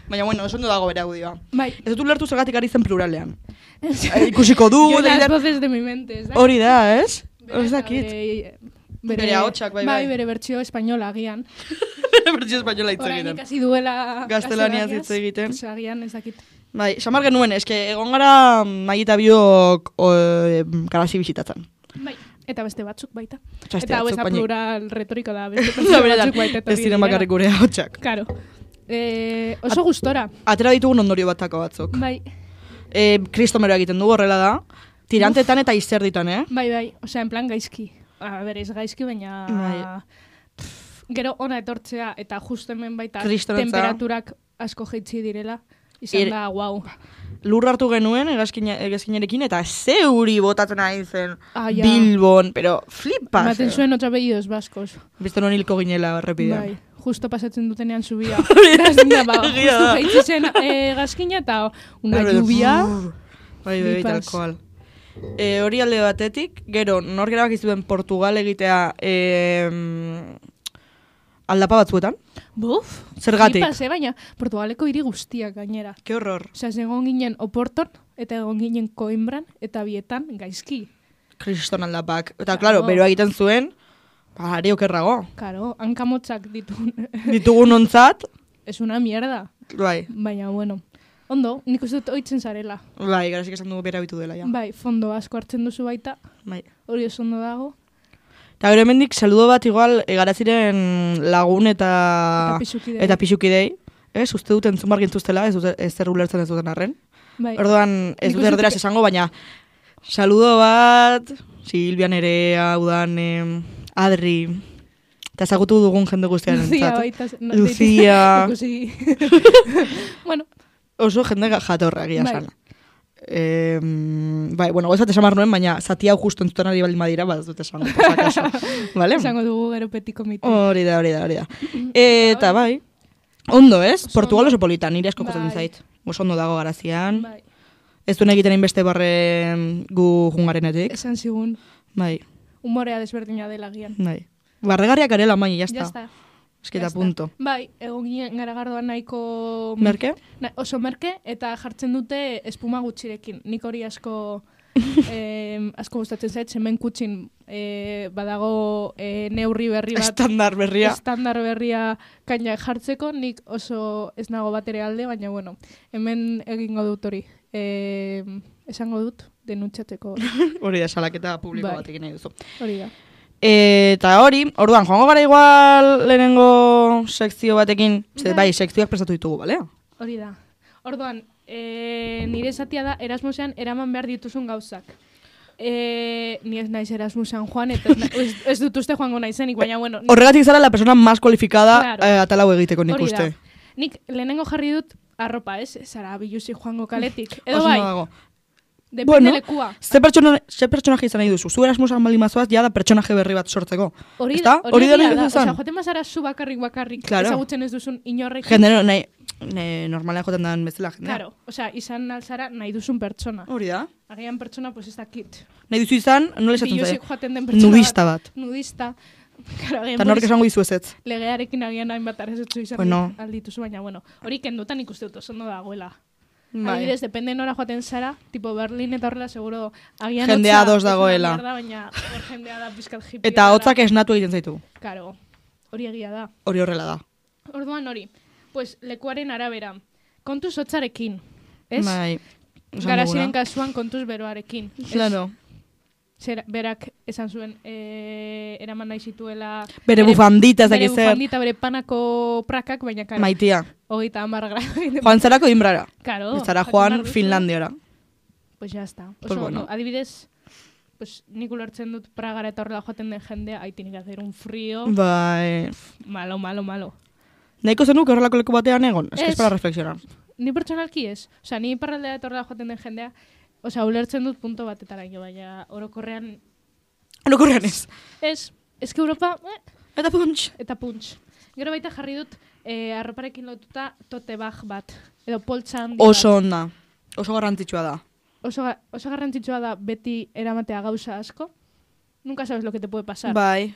Baina, bueno, oso ondo dago bere audioa. Bai. Ez dut ulertu zergatik ari zen pluralean. Eh, ikusiko du, Yo las deider- voces de mi mente, ez dakit. hori da, ez? Ez Beraz, dakit. bere Bere ahotsak, bai, bai. Bai, bere bertsio espainola agian. Bere bertsio espainola hitz Orain egiten. ikasi duela Gaztelaniaz hitz egiten. Pues agian ez dakit. Bai, samar genuen, eske egon gara Mai eta biok garazi bisitatzen. Bai, eta beste batzuk baita. Eta beste Eta hau ez batzuk, da baina- plural retoriko da, beste Da, beste benetan, batzuk baita. ez ziren bakarrik gure ahotsak. Karo. Eh, oso gustora. Atera ditugun ondorio batako batzuk. Bai, E, kristomero egiten du, horrela da. Tirantetan eta izerditan, eh? bai, bai. Osea, en plan gaizki. A ber, ez gaizki, baina... Bai. Pff, gero ona etortzea eta justo hemen baita Kristonetza. temperaturak asko jaitsi direla. Izan Ir- da, guau. Lur hartu genuen egazkina- egazkinarekin eta zeuri botatzen ari zen Ah, ja. Bilbon, pero flipas. Ematen zuen otra apellidos vascos. Beste non hilko ginela errepidean. Bai, justo pasatzen dutenean subia. Gazkina, ba, Egia justo da. jaitsi zen eh, gazkina eta una Pero, lluvia. brr, Bai, bai, bai, tal Flipas. cual. E, hori alde batetik, gero, nor gerabak izuen Portugal egitea e, aldapa batzuetan? Buf, Zergatik? flipas, eh, baina Portugaleko hiri guztiak gainera. Ke horror. Osea, egon ginen Oporton, eta egon ginen Coimbran, eta bietan gaizki. Kriston aldapak. Eta, Claro. claro, beroa egiten zuen, ba, ari okerrago. Karo, hankamotzak ditu. Ditugun ontzat, Es una mierda. bai, Baina, bueno. Ondo, nik uste dut oitzen zarela. bai, garazik esan dugu bera bitu dela, ja. Bai, fondo asko hartzen duzu baita, Bai. hori oso ondo dago. Eta gero hemendik saludo bat igual egaraziren lagun eta Eta pixukidei. eta pixukidei. Ez, uste dut entzun bargin zuztela, ez, dute- ez zer ulertzen ez duten arren. Bai. Orduan, ez Nik dut uste erderaz dut- esango, baina saludo bat, Silvia Nerea, udan, em, Adri, eta ezagutu dugun jende guztiaren Lucia entzat. baita. no, Lucia. Ikusi. bueno, Oso jende ga- jatorra egia Bai. esan. Eh, bai, bueno, gozat esamar nuen, baina zati hau justu entzuten ari baldin badira, bat ez dut esango, por si acaso. Vale? esango dugu gero petiko miti. Hori da, hori da, hori da. Eta bai, ondo ez, Oso Portugal ondo. oso politan, nire asko kostatzen Bai. zait. Oso ondo dago garazian. Bai, Ez duen egiten inbeste barre gu jungarenetik. esan zigun, Bai, umorea desberdina dela gian. bai. Barregarriak arela, mai, Ya jazta. está. Esketa Ya está. punto. Bai, egon ginen garagardoan nahiko... Merke? Na, oso merke, eta jartzen dute espuma gutxirekin. Nik hori asko eh, asko gustatzen zait, hemen kutxin eh, badago eh, neurri berri bat. Estandar berria. Estandar berria kaina jartzeko, nik oso ez nago bat ere alde, baina bueno, hemen egingo dut hori. Eh, esango dut, denuntxatzeko Hori da, salaketa publiko Bai. bat egin nahi duzu. hori da. Eta hori, orduan, joango gara igual lehenengo sekzio batekin, ze, Bai. bai, sekzioak prestatu ditugu, bale? Hori da. Orduan, e, nire esatia da Erasmusean eraman behar dituzun gauzak. E, ni ez naiz Erasmusean joan, eta ez, na- ez, ez dut uste joango naizenik, baina bueno. ni- Horregatik zara la persona más cualificada Claro. eh, atalau egiteko nik hori uste. da. Nik lehenengo jarri dut arropa, ez? Zara biluzi joango kaletik. Edo Oso bai, ondo dago. depende Bueno, lekua. Ze pertsona, ze pertsonaje izan nahi duzu? Zu Erasmusan baldin mazoaz, ja da pertsonaje berri bat sortzeko. Hori, Ezta? hori, Hori da egia nahi da. duzu Osea, izan? joaten bazara zu bakarrik bakarrik, Claro. ezagutzen ez duzun inorrekin. Jende, nahi, ne, normalean joten den bezala jendea. Claro, osea, izan alzara nahi duzun pertsona. Hori da. Agian pertsona, pues ez dakit. Nahi duzu izan, nola esaten Biluzik zaie? joaten den pertsona Nudista bat. Nudista. Claro, agian Eta nork Boris esango dizu ez ez. legearekin agian hainbat arazetzu izan Bueno. aldituzu, baina bueno, hori kendutan ikuste dut oso ondo dagoela. Bai. Adibidez, depende nora joaten zara, tipo Berlin eta horrela seguro agian Jendea hotza ados ez da dagoela. mierda, baina hor jendea da pizkat hippie. Eta hotzak esnatu egiten zaitu. Karo, hori egia da. Hori horrela da. Orduan hori, pues lekuaren arabera, kontuz hotzarekin, ez? Bai. esan Garaziren duguna. kasuan kontuz beroarekin. ez? Claro. Zer, berak esan zuen, e, eraman nahi zituela... Bere bufandita ez Bere dakiz zer. bufandita, bere panako prakak, baina karo, Maitia. hogeita hamar grado. Joan zarako inbrara. Karo. Ez zara jakin joan behar duzu. Finlandiara. Pues ya está. Oso, Pues bueno. no, adibidez, pues nik ulertzen dut Pragara eta horrela joaten den jendea, ahí tiene que hacer un frío, Bai. malo, malo, malo. Nahiko zenuk horrelako leku batean egon? Ez que Ez. es para reflexionar. Ni pertsonalki ez. Osea, ni iparraldea eta horrela joaten den jendea, osea, ulertzen dut punto batetaraino, baina orokorrean Orokorrean ez. ez, eske Europa, eh, Eta punch. eta punch. Gero baita jarri dut, eh, arroparekin lotuta tote bag bat, edo poltsa handi bat. Oso onda. Oso garrantzitsua da. Oso, ga- oso garrantzitsua da beti eramatea gauza asko. Nunca sabes lo que te puede pasar. Bai.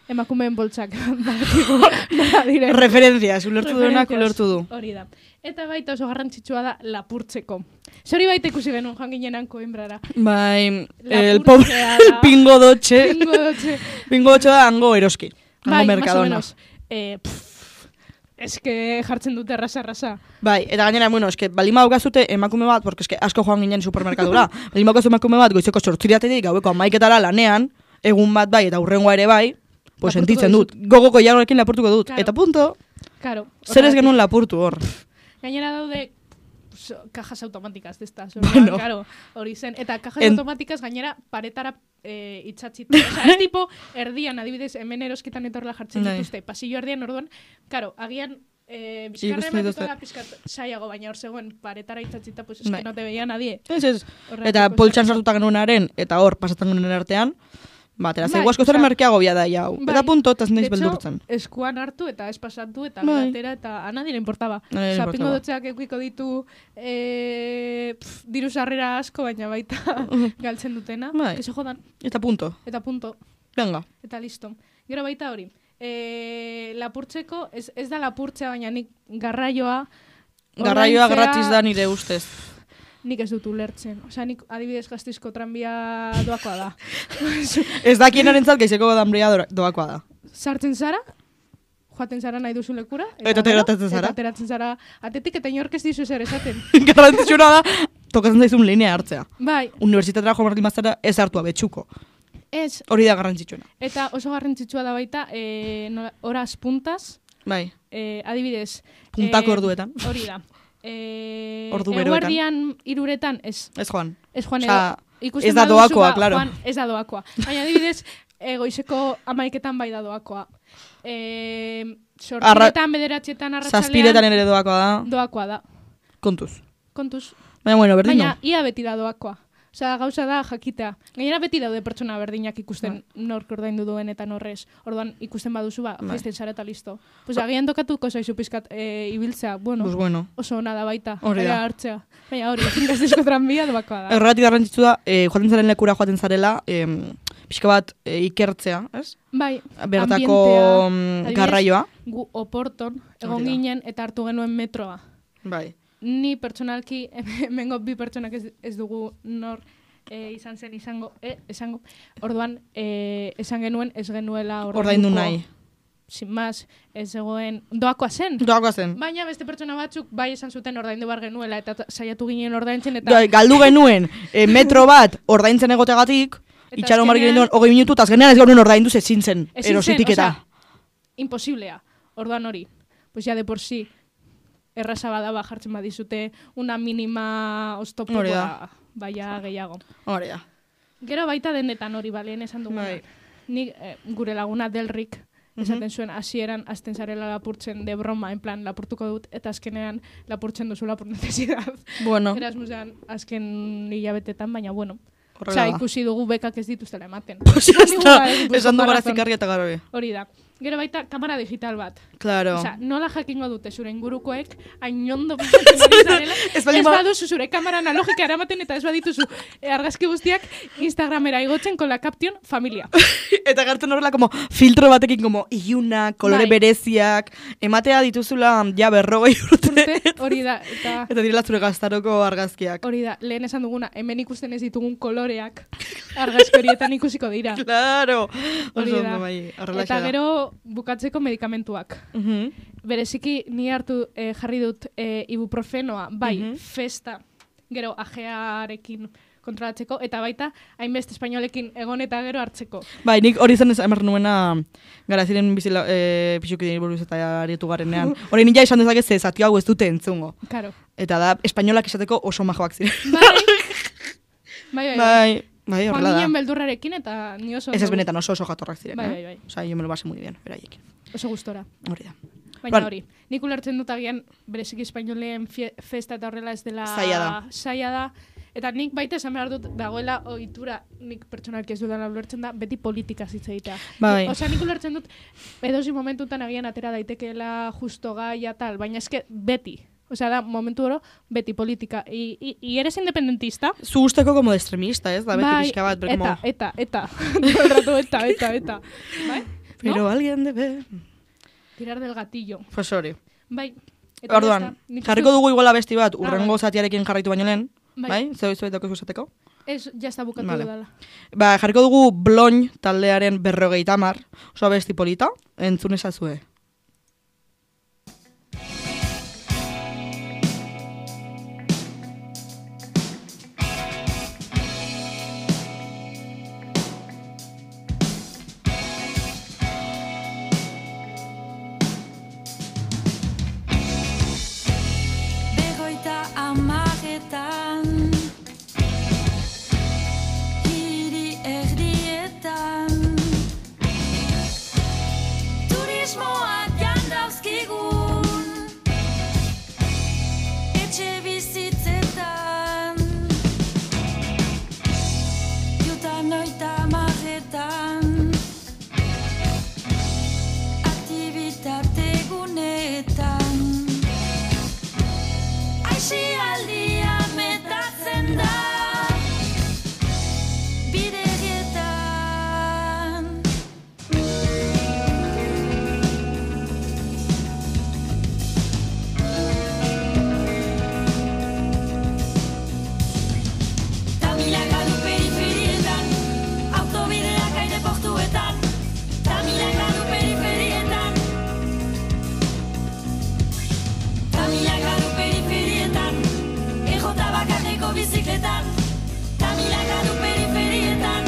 emakumeen boltsak badakigu nola diren. Referentzias, ulertu duenak ulertu du. Hori da. Eta baita oso garrantzitsua da lapurtzeko. Zori baita ikusi genuen joan ginenan Koimbrara. Bai, Lapurtzea el pobre da. pingo dotxe. Pingo dotxe. Pingo dotxe da hango eroski. Hango Bai, más o merkadona. menos. Eh, pff, eske jartzen dute errasa-errasa. Bai, eta gainera, bueno, eske, baldin badukazute emakume bat, porque eske asko joan ginen supermerkadura. Baldin badukazu emakume bat, goizeko sortziriatetik, gaueko amaiketara lanean, egun bat bai, eta hurrengoa ere bai, pues Lapurtuko sentitzen dut. dizut. Gogoko jarroekin lapurtuko dut. Claro. Eta punto, Claro. zer ez horregatik. genuen lapurtu hor. Gainera daude pues, cajas automáticas desta. Bueno. Claro, hori zen. Eta cajas En- automáticas gainera paretara eh, itxatzita. Osa, ez tipo, erdian, adibidez, hemen eroskitan etorla jartzen Bai. dituzte. Pasillo erdian, orduan, claro, agian eh, Ikusten bizkarra dituzte. emateko da pizkat saiago, baina hor zegoen paretara itxatzita, pues es Bai. que no te veía nadie. Ez, ez. Horregatik Eta oso poltsan erraza. sartuta genuenaren, eta hor, pasatzen genuen artean, batera, Bai, zego asko zora osea, merkeago bia da jau. bai. Eta punto, eta ez naiz De hecho, beldurtzen. eskuan hartu eta ez pasatu eta Bai. gatera eta a nadie le importaba. A nadie le Osa, importaba. pingo dotzeak eukiko ditu eh, pff, diru sarrera asko, baina baita galtzen dutena. Bai. Que se jodan, Eta punto. eta punto, Venga. eta listo. Gero baita hori. E, lapurtzeko, ez, ez da lapurtzea, baina nik garraioa... Garraioa ordaintzea gratis da nire ustez. Nik ez dut ulertzen. Osea, nik adibidez Gasteizko tranbia doakoa da. Ez dakienarentzat gaizeko danbria doakoa da. Sartzen zara, joaten zara nahi duzu lekura. Eta gero, ateratzen zara. Eta ateratzen zara atetik eta inork ez dizu zer esaten. Garrantzitsuna da, tokatzen zaizun linea hartzea. Bai, Unibertsitatera joan berdin bazara ez hartua betxuko. ez. Hori da garrantzitsuna. Eta oso garrantzitsua da baita, e, nola, horas puntas, Bai, e, adibidez. puntako eh, orduetan. Hori da. E, Ordu beroetan. Eguerdian iruretan, ez. Ez joan. Ez joan Osea, edo. Ikusten ez da baduzu, doakoa, ba, claro. Joan, ez da doakoa. Baina adibidez, e, goizeko amaiketan bai da doakoa. E, sortziretan, bederatxetan, arratsalean, Zazpiretan ere doakoa da. doakoa da. Kontuz. Kontuz. Baina, bueno, berdin Baina, no. ia beti da doakoa. Osea, gauza da jakitea. Gainera beti daude pertsona berdinak ikusten nork ordaindu duen eta norrez. Orduan ikusten baduzu, ba, Bai. feisten zara eta listo. Pues agian tokatuko zaizu pizkat e, ibiltzea. Bueno, Pues bueno. oso ona da baita. Hori da. Ea hartzea. Baina hori, Gasteizko tranbia doakoa da. Erratik garrantzitsu da, eh, joaten zaren lekura joaten zarela, eh, pixka bat eh, ikertzea, ez? Bai, Bertako ambientea. mm, Adibidez, garraioa. Gu oporton, egon Hori da. ginen eta hartu genuen metroa. Bai. Ni pertsonalki, hemengo bi pertsonak ez, ez dugu nor e, izan zen izango, e, esango. Orduan, e, esan genuen ez genuela Ordaindu nahi. Sin más, ez zegoen, doakoa zen. Doakoa zen. Baina beste pertsona batzuk bai esan zuten ordaindu bar genuela eta ta- saiatu ginen ordaintzen eta Gai, galdu genuen eh, metro bat ordaintzen egotegatik, Eta itxaron marri azkenean- genuen hogei minutu, eta azkenean ez genuen ordaindu ezin zen, ezin zen, erositik eta. osea, imposiblea. Orduan hori. Pues ya de por sí erraza bada ba jartzen badizute una mínima oztopo Hori da. ba, baia gehiago. Hori da. Gero baita denetan hori baleen esan duguna. Bai. Nik eh, gure laguna Delrik esaten zuen hasieran hasten zarela lapurtzen de broma, en plan lapurtuko dut eta azkenean lapurtzen duzula por necesidad. Bueno, Erasmusean azken hilabetetan, baina bueno. horrela Osea, da. ikusi dugu bekak ez dituztela ematen. Pues ya Esan digu, está, ba, Gipuzkoako esan du gara razón. zikarri eta garbi. Hori da. Gero baita kamera digital bat. Claro. Osea, nola jakingo dute zure ingurukoek ainondo pasatzen ari zarela. Ez ez baldin ba- baduzu zure kamera analogika eramaten eta ez badituzu eh, argazki guztiak Instagramera igotzen con la caption familia. Eta gartzen horrela como filtro batekin como iluna, kolore Bai. bereziak, ematea dituzula ja berrogei urte. Urte, hori da. Eta Eta direla zure gaztaroko argazkiak. hori da, lehen esan duguna, hemen ikusten ez ditugun koloreak argazki horietan ikusiko dira. Claro. Hori Oso da. ondo bai, horrela Eta da. gero bukatzeko medikamentuak. Mhm. Bereziki ni hartu eh, jarri dut eh, ibuprofenoa, bai, Mhm. festa, gero ajearekin kontrolatzeko, eta baita hainbeste espainolekin egon eta gero hartzeko. Bai, nik hori zen emer nuena gara ziren bizila, e, pixuki buruz eta arietu garenean. Hori nila esan dezake ze zati hau ez dute entzungo. Karo. Eta da, espainolak esateko oso majoak ziren. Bai, bai, bai. bai. Bai, bai, Joan horrela da. ginen beldurrarekin eta ni oso... Ez ez benetan oso oso jatorrak ziren, Bai, eh? bai, bai. Osa, yo me lo base muy bien, beraiekin. Oso gustora. Hori da. Baina Ban- hori, nik ulertzen dut agian bereziki espainoleen fie- festa eta horrela ez dela... Zaila da. Zaila da. Eta nik baita esan behar dut dagoela ohitura nik pertsonalki ez dudala ulertzen da beti politika hitz egitea. Bai. Osea, nik ulertzen dut edozi momentutan agian atera daitekeela justo gaia tal, baina eske beti. Osea, da momentu oro beti politika. I, i, i eres independentista? Zu usteko como de extremista, ez? Da beti Bai, pixka bat, pero eta, como... eta, eta, todo el rato, eta, eta, eta, bai? Pero No? alguien debe... Tirar del gatillo. Pues hori. Bai. Eta Orduan, ya está. Nik jarriko uste- dugu igual abesti bat, urrengo bai. zatiarekin jarraitu baino lehen. Bai. Bai? Zeu izuet daukaz esateko? Ez, ya está bukatu Vale. dela. Ba, jarriko dugu Bloin taldearen berrogeita hamar, oso abesti polita, entzun ezazue. Berroita hamaretan hiri erdietan turismoak jandauzkigun etxe bizitzetan jutan oita hamaretan aktibitate guneetan Aisialdia metatzen da biderietan Tamilaka du periferietan autobideak aireportuetan Tamilaka du periferietan Tamilaka du periferietan Ejota bakarreko bizikletan Tamilaka du periferietan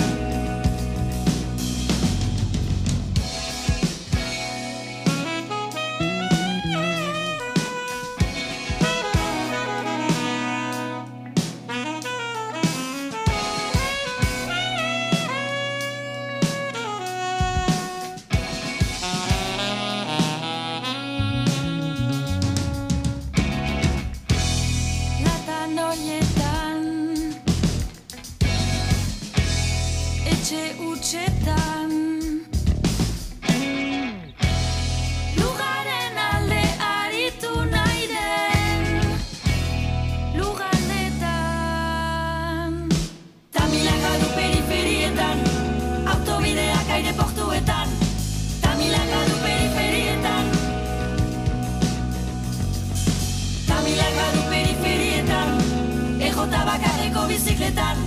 Latan horietan etxe utxetan lugaren alde aritu nahi den lugaldetan Tamilaka du periferietan autobideak aireportuetan Tamilaka du periferietan Tamilaka du periferietan Ejota bakarreko bizikletan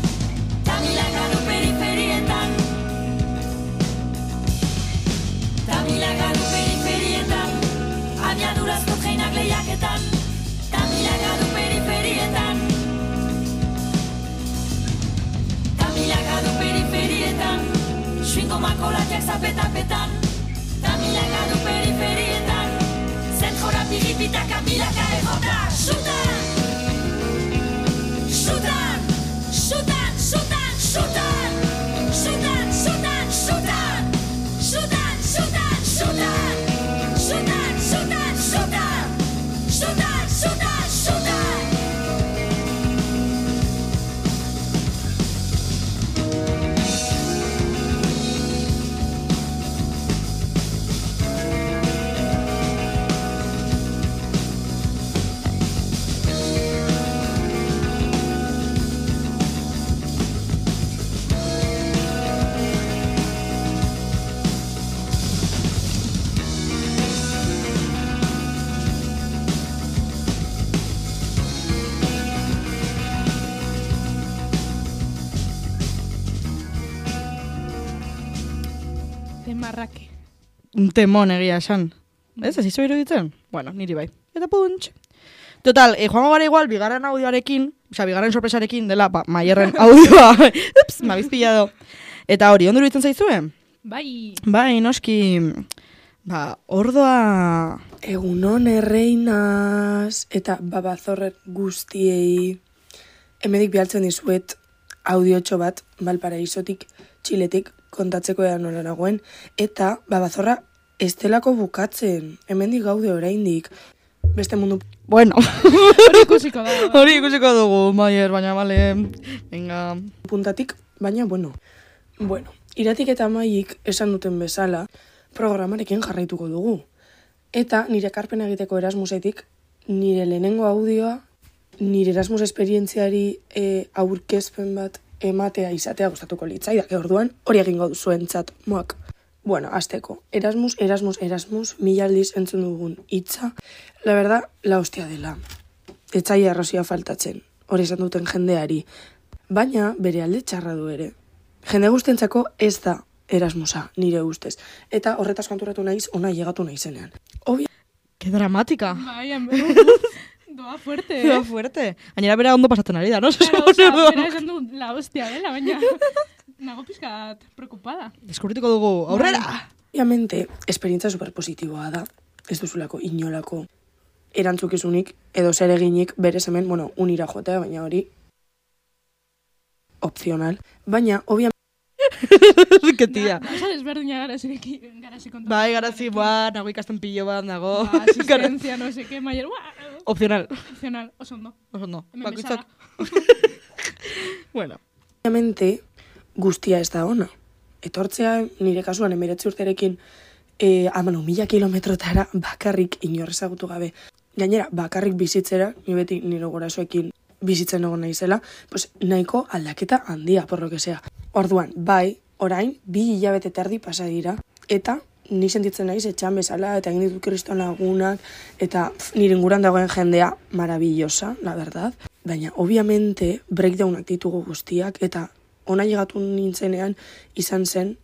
Tamilaka du periferietan Tamilaka du periferietan Abiadurazko treinak lehiaketan Tamilaka du periferietan Tamilaka du periferietan Suingo makolatiak zapetapetan Tamilaka du periferietan Zentrora piripitak amilaka egota Xutan! Xutan! Xutan! Xutan! Xutan! Xutan! Xutan! Xutan! Xutan! Xutan! Xutan! Xutan! Xutan! Xutan! Xutan! Xutan! Xutan! Demarrake. Un temon egia esan. Ez, ez izo iruditzen? Bueno, niri bai. Eta puntx. Total, eh, joango gara igual, bigarren audioarekin, osea, bigarren sorpresarekin dela, ba, Maierren audioa. Ups, ma bizpillado. Eta hori, ondo iruditzen zaizue? Bai. Bai, noski, ba, ordoa... Egunon erreinaz eta babazorrer guztiei. Hemedik bialtzen dizuet audiotxo bat Valparaisotik, Txiletik kontatzeko ea nola nagoen. Eta babazorra ez delako bukatzen. Hemendik gaude oraindik. Beste mundu Bueno, Hori ikusiko da. hori ikusiko dugu, Maier, baina, bale, venga... puntatik, baina bueno. Bueno, iratik eta maik esan duten bezala, programarekin jarraituko dugu. Eta nire ekarpena egiteko Erasmusetik, nire lehenengo audioa, nire Erasmus esperientziari e, aurkezpen bat ematea izatea gustatuko litzaidak. Orduan hori egingo duzuentzat moak. Bueno, azteko, Erasmus, Erasmus, Erasmus, mila aldiz entzun dugun hitza, la verdad, la hostia dela. Etzaia arrazia faltatzen, hori esan duten jendeari. Baina, bere alde txarra du ere. Jende guztientzako ez da Erasmusa, nire ustez. Eta horretaz konturatu naiz, ona llegatu naizenean. Obvia. Qué dramática. Bai, en doa fuerte, eh? Doa fuerte. Gainera bera ondo pasatzen ari da, no? Claro, o sea, bera esan du la hostia dela, baina nago pizkat preocupada. Deskubrituko dugu, aurrera! Obviamente, esperientza superpositiboa da, ez duzulako inolako erantzukizunik edo zer eginik berez hemen, bueno, unira joatea, baina hori opcional. Baina, obviamente, Que tia. Osa desberdina garazi garazi kontu. Bai, garazi, ba, nago ikasten pillo bat, nago. Ba, asistencia, no sé qué, maier, ba, Opcional. opcional, oso ondo. Oso no. Hemen Bakoitzak. Bueno. obviamente, guztia ez da ona. Etortzea, nire kasuan, emeretzi urterekin, e, amano, mila kilometrotara bakarrik inor ezagutu gabe. Gainera, bakarrik bizitzera, ni beti nire gurasoekin bizitzen egon naizela, pues nahiko aldaketa handia, por lo que sea. Orduan, bai, orain, bi hilabete terdi pasa dira, eta ni sentitzen naiz etxan bezala, eta egin ditut kriston lagunak, eta pf, nire inguran dagoen jendea maravillosa, la verdad. Baina, obviamente, breakdownak ditugu guztiak, eta ona llegatu nintzenean izan zen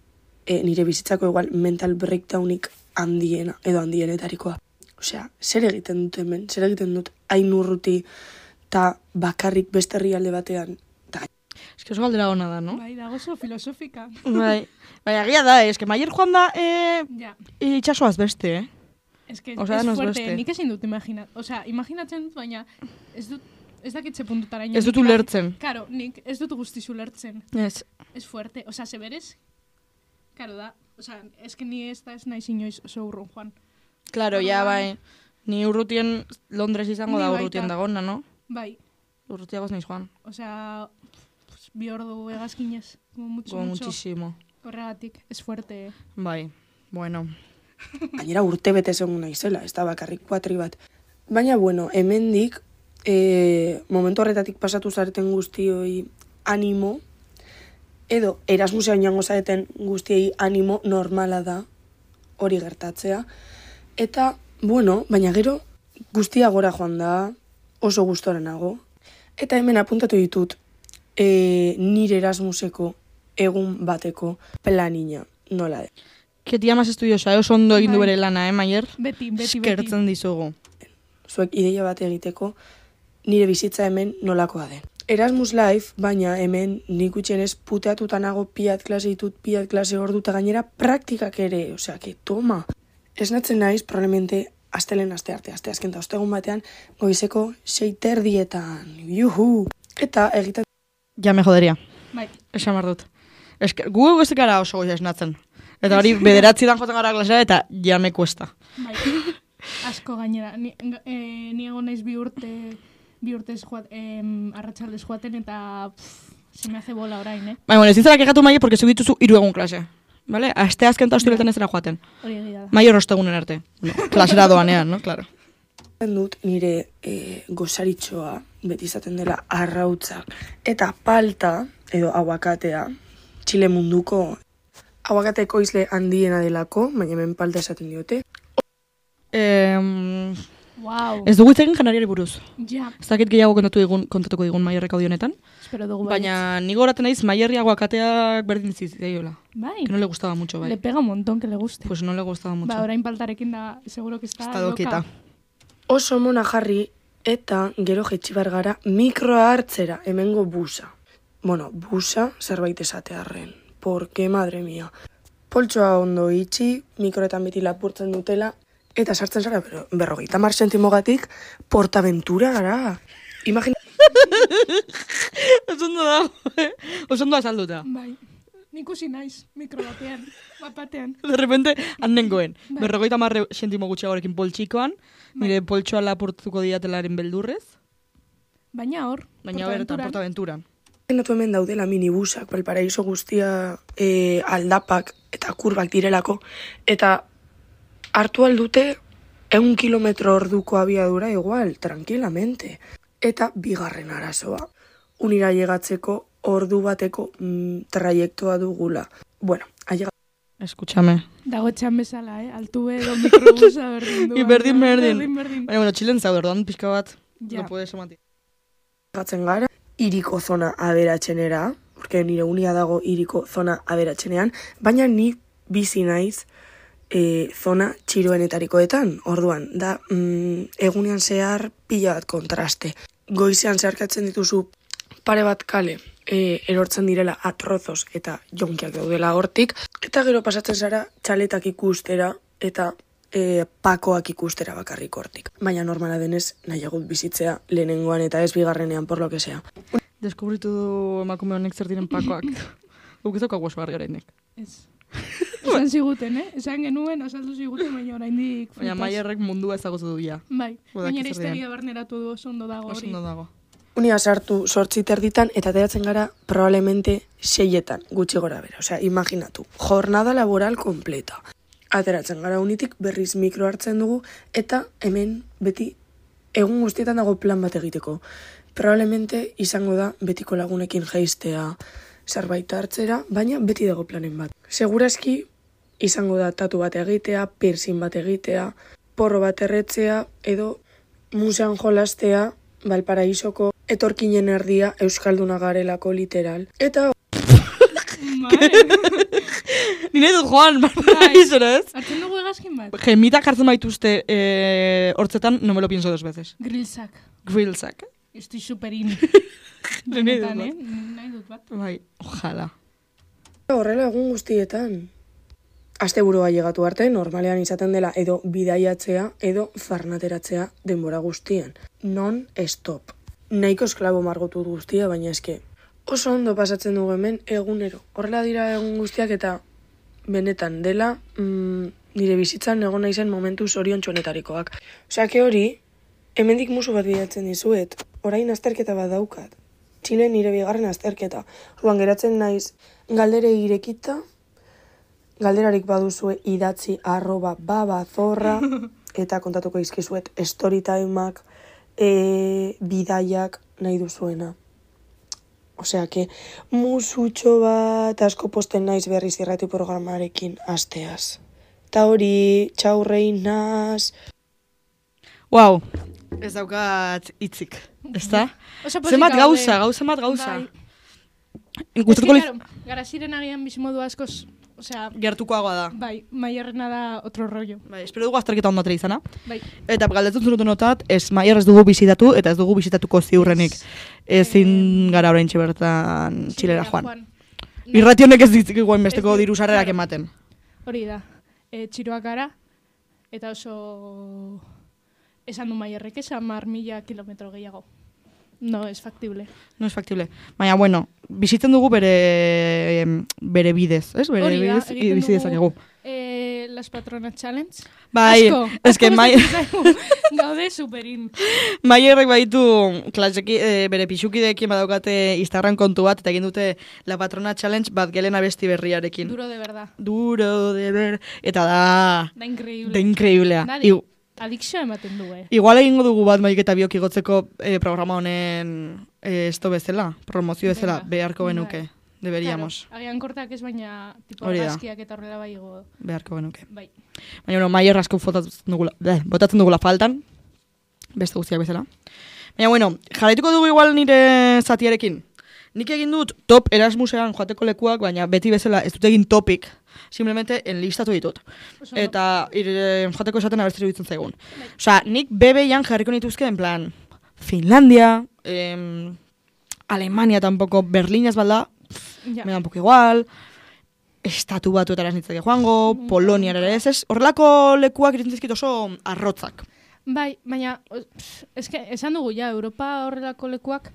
e, nire bizitzako igual mental breakdownik handiena, edo handienetarikoa. Osea, zer egiten dut hemen, zer egiten dut hain urruti, eta bakarrik beste herrialde batean. Ta, Es que oso galdera ona da, no? Bai, dago oso filosofika. Bai. Baina egia da, es que Maier joan da eh, Ja. itxasoaz beste, eh? Es que O sea, es nos fuerte, beste. nik ezin dut imagina, o sea, imaginatzen dut, baina ez dut, ez dakitze puntutara. Ez dut ulertzen. Claro, nik ez dut guztiz ulertzen. Ez. Es fuerte, o sea, se berez, claro da, o sea, es que ni ez da ez naiz inoiz oso urrun, Juan. Claro, ja, bai. Ni urrutien Londres izango Ni da baita. urrutien dagona, no? Bai, Urrutiagoz naiz joan. o sea, pues, bi ordu egazkinez, como mucho, Como mucho. muchísimo. Horregatik, es fuerte. Bai, bueno. gainera urte bete egon naizela, ez da bakarrik kuatri bat. Baina, bueno, hemendik, e, momentu horretatik pasatu zareten guztioi animo, edo Erasmusea oinango zareten guztiei animo normala da hori gertatzea. Eta, bueno, baina gero guztia gora joan da, oso gustora nago. Eta hemen apuntatu ditut e, nire Erasmuseko egun bateko planina, nola de. Que tia más estudiosa, eh? Oso ondo egin du Bai. bere lana, eh, Maier? Beti, beti, beti. Eskertzen dizugu. Zuek ideia bat egiteko nire bizitza hemen nolakoa den. Erasmus Life, baina hemen nik gutxienez puteatuta nago piat klase ditut, piat klase ordu eta gainera praktikak ere, osea, que toma. Esnatzen naiz, probablemente, astelen aste arte, aste azken eta ostegun batean, goizeko sei terdietan, juhu! Eta egiten Ja me joderia. Bai, Esan behar dut. Eske, gu ez gara oso goia esnatzen. Eta hori, bederatzi dan joten gara klasera eta ja me cuesta. bai. Asko gainera. Ni, eh, ni egon naiz bi urte, bi urtez joat, eh, arratsaldez joaten eta pff, se me hace bola orain, eh? Baina, bueno, ezin zara kexatu Maier, porque zuk dituzu hiru egun klase. Vale? Aste azken eta ostiretan ez zera joaten. Hori egia da. Maior ostegunen arte. No, klasera doanean, no? Claro. dut nire e, gozaritxoa, beti izaten dela arrautzak, eta palta, edo aguakatea, Txile munduko aguakateko izle handiena delako, baina hemen palta esaten diote. Eh, Wow. ez dugu hitz egin janariari buruz. Ja, Ez dakit gehiago kontatu digun, kontatuko digun Maierrek audionetan. espero dugu Baina ni goraten naiz Maierri aguakateak berdin zitzaiola. Bai. Que no le gustaba mucho, bai. Le pega un montón que le guste. Pues no le gustaba mucho. Ba, orain paltarekin da, seguro que está, Está dokieta. loca. Oso mona jarri, eta gero jetxibar gara mikroa hartzera, hemengo busa. Bueno, busa zerbait esatearren. Porque, madre mia. Poltsoa ondo itxi, mikroetan beti lapurtzen dutela, eta sartzen zara, pero berrogeita mar sentimogatik, portaventura gara. Imagina... Oso ondo dago, eh? Oso ondo azalduta. Bai. Nik usi naiz, mikro batean, bat batean. De repente, handengoen. Bai. Berrogeita marre sentimo gutxiagorekin poltsikoan, nire poltsoa lapurtuko diatelaren beldurrez, Baina hor, baina bertan, Portaventuran, portaventuran. Imaginatu hemen daudela minibusak, Valparaiso guztia e, aldapak eta kurbak direlako, eta hartu aldute eun kilometro orduko abiadura igual, tranquilamente. Eta bigarren arazoa, unira llegatzeko ordu bateko mm, traiektoa dugula. Bueno, ailega Escúchame. Dago etxan bezala, eh? Altu edo mikrobusa berdin du. I berdin, baina, berdin. Berdin, berdin. Baina, bueno, Txilen zaude, orduan pixka bat, Ja. lo puedes omati. Gatzen gara, iriko zona aberatsenera, porque nire unia dago iriko zona aberatsenean, baina ni bizi naiz e, zona txiroenetarikoetan, orduan, da mm, egunean zehar pila bat kontraste. Goizean zeharkatzen dituzu pare bat kale, e, erortzen direla atrozos eta jonkiak daudela hortik, eta gero pasatzen zara txaletak ikustera eta e, pakoak ikustera bakarrik hortik. Baina normala denez nahiagut bizitzea lehenengoan eta ez bigarrenean por lo que sea. Deskubritu du emakume honek zer diren pakoak. Guk ez daukagu oso argi oraindik. Ez. Esan ziguten, eh? Esan genuen, azaldu ziguten, baina oraindik Baina frutas. Maierrek mundua ezagutu du ja. Bai, Badaki gainera zer diren. historia barneratu du oso ondo dago Oso hori. ondo dago. Unia sartu sortzi terditan eta ateratzen gara probablemente seietan gutxi gora bera. Osea, imaginatu. Jornada laboral completa. Ateratzen gara unitik berriz mikro hartzen dugu eta hemen beti egun guztietan dago plan bat egiteko. Probablemente izango da betiko lagunekin jaistea, zerbait hartzera, baina beti dago planen bat. Segurazki izango da tatu bat egitea, piercing bat egitea, porro bat erretzea edo musean jolastea, Valparaisoko etorkinen erdia euskalduna garelako literal. Eta Bai. Ni nahi dut joan, Valparaisora, ez? Hartzen dugu egazkin bat? Gemitak hartzen baituzte eh, hortzetan, no me lo pienso dos veces. Grillsak. Grillsak. Estoy superin. Nahi dut Benetan, bat. eh? Nahi dut bat. Bai, ojala. horrela egun guztietan. Asteburua llegatu arte, normalean izaten dela edo bidaiatzea edo farnateratzea denbora guztien. Non stop. Nahiko esklabo margotu dut guztia, baina eske oso ondo pasatzen dugu hemen egunero. Horrela dira egun guztiak eta benetan dela mm, nire bizitzan egon naizen momentu zoriontsuenetarikoak. Osea, que hori, hemendik musu bat bidatzen dizuet. Orain azterketa bat daukat. Txile nire bigarren azterketa. Orduan geratzen naiz galdere irekita, galderarik baduzue idatzi arroba babazorra eta kontatuko izkizuet storytimeak, e, bidaiak nahi duzuena. Osea, que musutxo bat asko posten naiz berriz irrati programarekin asteaz. Eta hori, txau reinaz. Wow, ez daukat hitzik, ezta? Oso pozik Zenbat gaude. gauza, gauza bat gauza. Bai. Gustatuko Ez liz... que, claro, gara ziren agian bizimodu askoz, osea, Gertukoagoa da. bai, Maierrena da otro rollo. Bai, espero dugu azterketa ondo atera izana. Bai. Eta galdetzen zurutonotat, ez Maier ez dugu bizitatu eta ez dugu bizitatuko ziurrenik. Ezin gara oraintxe bertan Txilera joan. Irrati honek ez ditzik igual besteko Ez du- diru sarrerak claro. ematen. Hori da. E, txiroak gara, eta oso esan du Maierrek esan mar mila kilometro gehiago. No, es factible. No es factible. Baina, bueno, bizitzen dugu bere em, bere bidez, ez? Bere Hori da, bidez egiten bizi dezakegu. E, Las Patronas Challenge. Bai, Asko, eske asko Mai- gustatzen zaigu. Gaude superin. Maierrek baitu klaseki, e, bere pixukideekin badaukate Instagram kontu bat, eta egin dute La Patrona Challenge bat gelen abesti berriarekin. Duro de verdad. Duro de ver. Eta da, Da increíble. da increíblea. Da, Igu- adikzioa ematen du, eh. Igual egingo dugu bat maik eta biok igotzeko eh, programa honen eh, esto bezala, promozio bezala, Venga. beharko Bai. genuke. Deberíamos, Claro, agian kortak ez, baina tipo Hori da. argazkiak eta horrela bai igo. beharko genuke. Bai. Baina, bueno, Maier asko botatzen dugula, bleh, botatzen dugula faltan, beste guztiak bezala. Baina, bueno, jarraituko dugu igual nire zatiarekin. Nik egin dut top Erasmusean joateko lekuak, baina beti bezala ez dut egin topik, simplemente enlistatu ditut. Oso ondo. Eta ire, joateko esaten abertzera iruditzen zaigun. Osea, nik B B-an jarriko nituzke, en plan, Finlandia, em, Alemania tampoco, Berlin ez balda, Ja. me da un poco igual, estatu batuetara ez nitzake joango, Polonia ere ez, ez, horrelako lekuak iruditzen zizkit oso arrotzak. Bai, baina, o- pff, eske, esan dugu ja, Europa horrelako lekuak,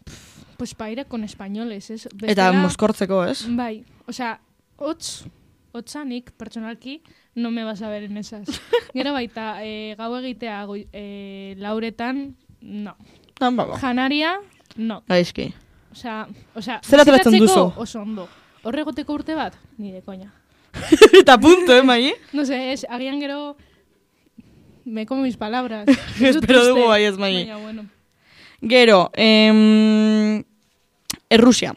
pff, pues pa ir con españoles, ez? Eta Bestela- moskortzeko, ez? Bai, osea, hotz, hotzanik, pertsonalki, no me vas a ver en esas. Gero baita, e, gau egitea goi- e, lauretan, no. Ah, ba, Janaria, no. gaizki. Osea, osea, Zer ateratzen bizitatzeko duzu? oso ondo. Horregoteko urte bat, ni de koña. Eta punto, eh, mai? No sé, es, agian gero, me como mis palabras. Espero dugu bai ez, mai. Baina, bueno. Gero, em, Errusia.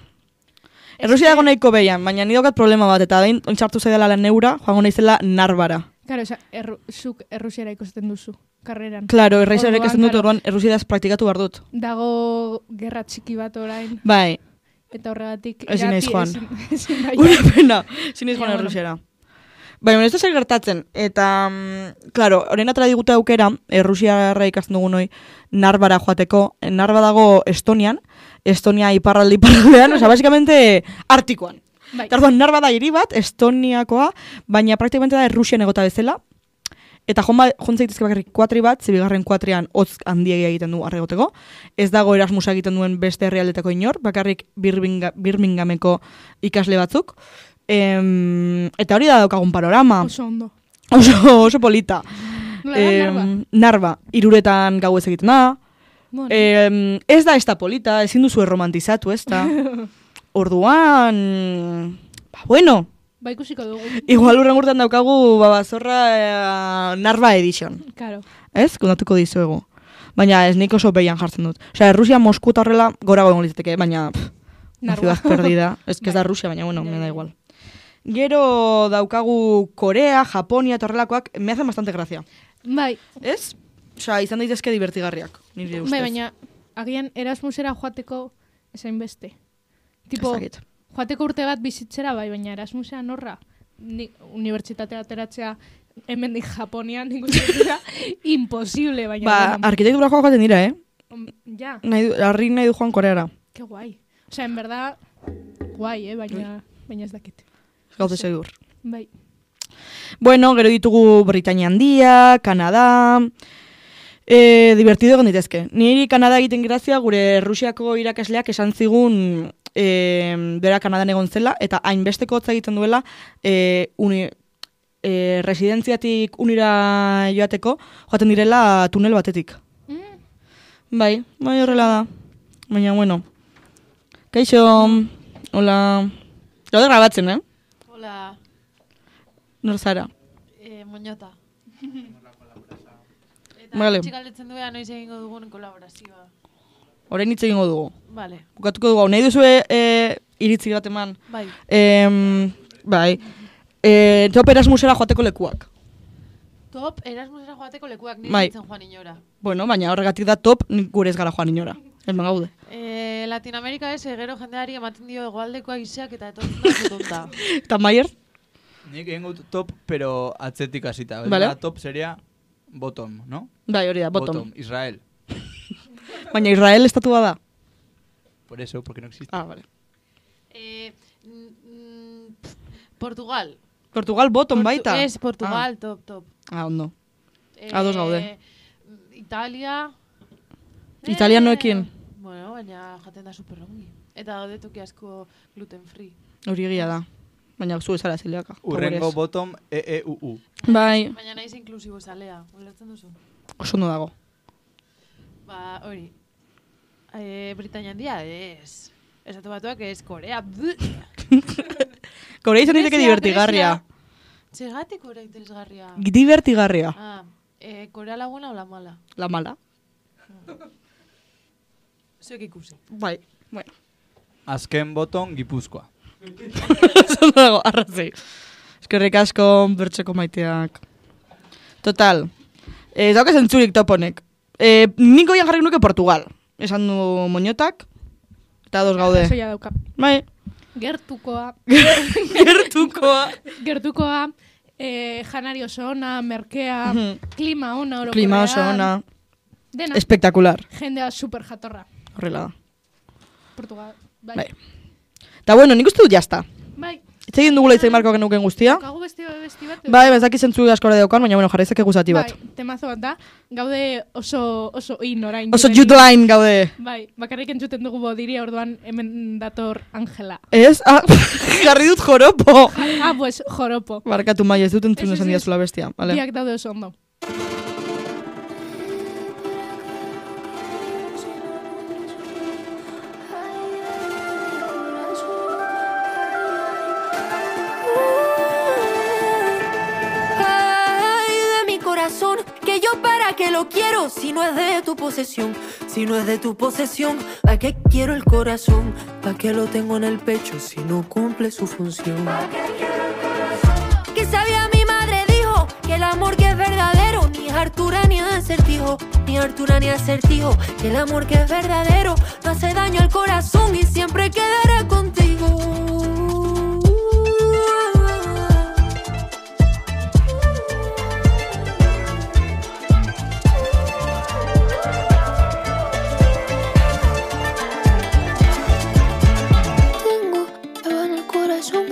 Errusia dago nahiko behian, baina ni daukat problema bat, eta behin ontxartu zaidala la neura, joango naizela Narvara. Claro, oza, erru, zuk errusiera ikusten duzu, karreran. Claro, erraizarik Orduan, ikasten dut, claro. orduan errusiedaz praktikatu behar dut. Dago gerra txiki bat orain, Bai, eta horregatik... Ezin naiz irati- joan. ezin- ezin nahi una joan. pena, siniz Ja, joan bueno. errusiera. Baina, ez da zer gertatzen, eta, mm, claro, horren atara digute aukera, errusiarra ikasten dugun hoi, Narvara joateko, Narva dago Estonian, Estonia iparralde iparraldean, oza, basikamente, Artikoan. Bai. Eta orduan, Narva da hiri bat, Estoniakoa, baina praktikamente da Errusian egota bezala, eta jon, ba, jon zaitezke bakarrik kuatri bat, zibigarren kuatrian hotz handiegia egiten du arregoteko, ez dago Erasmusa egiten duen beste herrialdetako inor, bakarrik Birminga, Birminghameko ikasle batzuk, em, eta hori da daukagun panorama, Oso ondo. oso, oso polita. Nola da, Em, Narva? Narva, iruretan gau ez egiten da, Bueno, em, ez da ez da polita, ezin duzu erromantizatu, ez da. Orduan, ba, bueno, ba ikusiko dugu. igual urren urtean daukagu babazorra eh, Narva edition, Claro. ez? Kontatuko dizuegu. Baina ez nik oso behian jartzen dut. Osea, Rusia, Mosku eta horrela gorago egon litzateke, baina pff, una Narva. ciudad perdida. Ez que ez da Bai. Rusia, baina bueno, Ja, me da ja. igual. Gero daukagu Korea, Japonia eta horrelakoak, me hacen bastante gracia. Bai, Ez? Osea, izan daitezke divertigarriak, nire ustez. bai, baina agian Erasmusera joateko esain beste. Tipo, Ez dakit. joateko urte bat bizitzera bai, baina Erasmusea norra. Ni, unibertsitatea ateratzea hemendik Japonian ikusten imposible, baina... Ba, bueno, arkitektura joak joaten dira, eh? om- ja, Nahi, du- harri nahi du joan Koreara. qué guai. O sea, en verdad, guai, eh, baina, baina ez dakit. Gaude segur. Bai. Bueno, gero ditugu Britania Handia, Kanada... E, divertido egon ditezke. Niri Kanada egiten grazia gure Rusiako irakasleak esan zigun e, bera Kanadan egon zela, eta hainbesteko hotza egiten duela e, uni, e, residentziatik unira joateko, joaten direla tunel batetik. Mm, Bai, bai horrela da. Baina, bueno. Kaixo, hola... Gaude grabatzen, eh? Hola, Nor zara? eh, Moñota. Eta Vale. gutxi galdetzen duea noiz egingo dugun kolaborazioa. Orain hitz egingo dugu. Vale, Bukatuko dugu, hau nahi duzue e, iritzi bat eman. bai. Em, bai, e, top Erasmusera joateko lekuak. Top, Erasmusera joateko lekuak nire Bai. nintzen joan inora. Bueno, baina horregatik da top, nik gure ez gara joan inora. Hemen gaude. Eh, Latinoamerika ez, gero jendeari ematen dio hegoaldekoak izeak eta etortzen da zutonta. Eta Maier? Nik egingo dut top, pero atzetik hasita. Vale. Top sería bottom, ¿no? Bai, hori da, bottom. Israel. Baina Israel estatua da. Por eso, porque no existe. Ah, vale. eh, mm, mm, pf, Portugal. Portugal bottom Portu- baita. Ez, Portugal, top, top. Ah, ah ondo. Eh, Ados gaude. Italia. Italianoekin? Eh, bueno, baina jaten da super ongi. Eta daude toki asko gluten free. Hori egia da. Baina zu ezara zileaka. Urrengo bottom, E E U U. Bai, Baina naiz inklusibo zalea, ulertzen duzu? oso ondo dago. Ba, hori. E, Britania Handia, ez. Esatu batuak ez, Korea. Korea izan diteke Grezia, divertigarria. Txegatik Korea interesgarria. Divertigarria. Ah, e, Korea laguna o la mala? La mala. Zuek ikusi. Bai, bueno. Azken bottom, Gipuzkoa. Oso ondo dago, arrazei. Eskerrik asko, bertxeko maiteak. Total. Ez dauk esan txurik toponek. E, niko ian jarrik nuke Portugal. Esan du Moñotak. Eta dos gaude. Soia dauka. Bai. Gertukoa, Gertukoa. gertukoa, eh, janari oso ona, merkea, Mhm. klima ona, orokorrean. Klima oso ona. Dena, Espektakular. jendea super jatorra. Horrela da. Portugal. Bai. Bai. Eta bueno, nik uste dut jazta. Bai. Itz egin dugula itzai marko genuken guztia. Kagu besti, besti bat. Bai, bezaki zentzu askora daukan, baina bueno, jarraizak eguzati bat. Bai, temazo bat da. Gaude oso, oso in orain. Oso juvenil. jutline gaude. Bai, bakarrik entzuten dugu bodiri, orduan hemen dator Angela. Ez? Ah, jarri dut joropo. Ah, pues, joropo. Barkatu mai, ez dut entzun Ez, ez, esan ez. diazula bestia. Vale. Biak daude oso ondo. Ay, de mi corazón, que yo para qué lo quiero si no es de tu posesión. Si si no es de tu posesión? ¿Para qué quiero el corazón? ¿Para qué lo tengo en el pecho si no cumple su función? Que sabía mi madre dijo que el amor que es verdadero ni es Artura ni es acertijo, ni Artura ni acertijo. Que el amor que es verdadero no hace daño al corazón y siempre quedará contigo.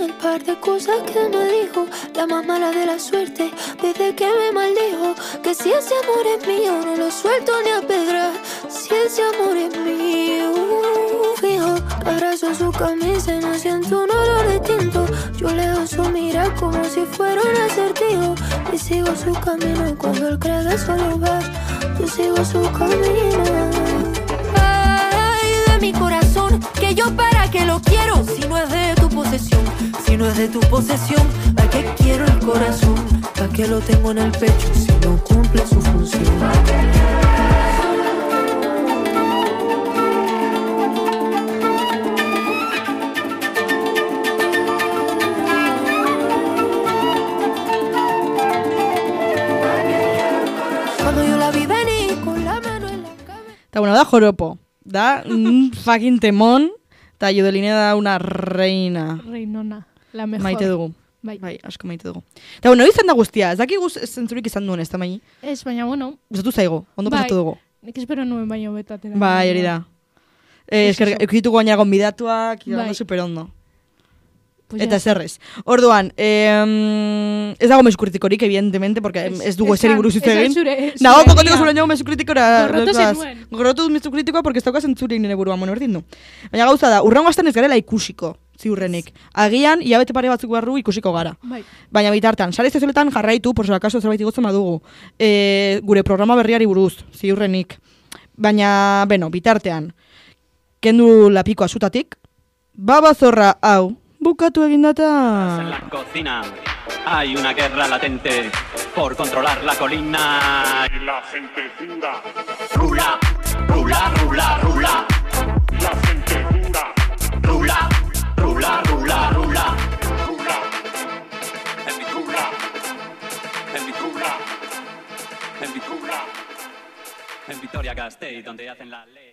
El par de cosas que me dijo la más mala de la suerte desde que me maldijo. Que si ese amor es mío no lo suelto ni a pedrar. Si ese amor es mío, fijo, abrazo su camisa y no siento un olor distinto. Yo leo su mirar como si fuera un acertijo y sigo su camino. Y cuando él cree que solo va, yo sigo su camino. Ay, de mi corazón, que yo para qué lo quiero si no es de tu posesión. Si no es de tu posesión, ¿para qué quiero el corazón? ¿Para qué lo tengo en el pecho si no cumple su función? Cuando yo la vi venir con la mano en la cabeza. Eta bueno, da joropo. Da un fucking temón. Eta Judeline da una reina. Reinona. La mejor. Maite dugu. Bai. Bai, asko maite dugu. Eta bueno, izan da guztia. Ez daki guz zentzurik izan duen ez da mai. Ez, baina bueno. Gustatu zaigo, ondo Bai. pasatu dugu. Nik espero nuen baino betatera. Bai, hori da. Eh, Ez esker, eso. eukituko gaina gonbidatuak, Bai. bai. Super ondo. Pues Eta ya. zerrez. Orduan, eh, ez dago mezu kritikorik, evidentemente, porque ez dugu esan- eseri buruz hitz esan egin. zure- Nago, zure kokotiko egia. zure nago mezu kritikora. Gorrotu lotuaz. zenuen. Gorrotu dut mezu kritikoa, porque ez dauka zentzurik nire buruan, bueno, berdin du. Baina gauza da, urrengo astean ez garela ikusiko, ziurrenik. Agian, hilabete pare batzuk barru ikusiko gara. Bai. Baina bitartan, sare sozialetan jarraitu, por si acaso zerbait igotzen badugu, e, gure programa berriari buruz, ziurrenik. Baina, beno, bitartean, kendu lapikoa zutatik, babazorra hau, bukatu egin En data. la cocina hay una guerra latente por controlar la colina. Y la gente dura, Rula, rula, rula, rula. la gente dura, Rula, rula, rula, rula. dura, En mi rula, en mi rula, dura. en mi rula. En Vitoria-Gasteiz, donde hacen la ley.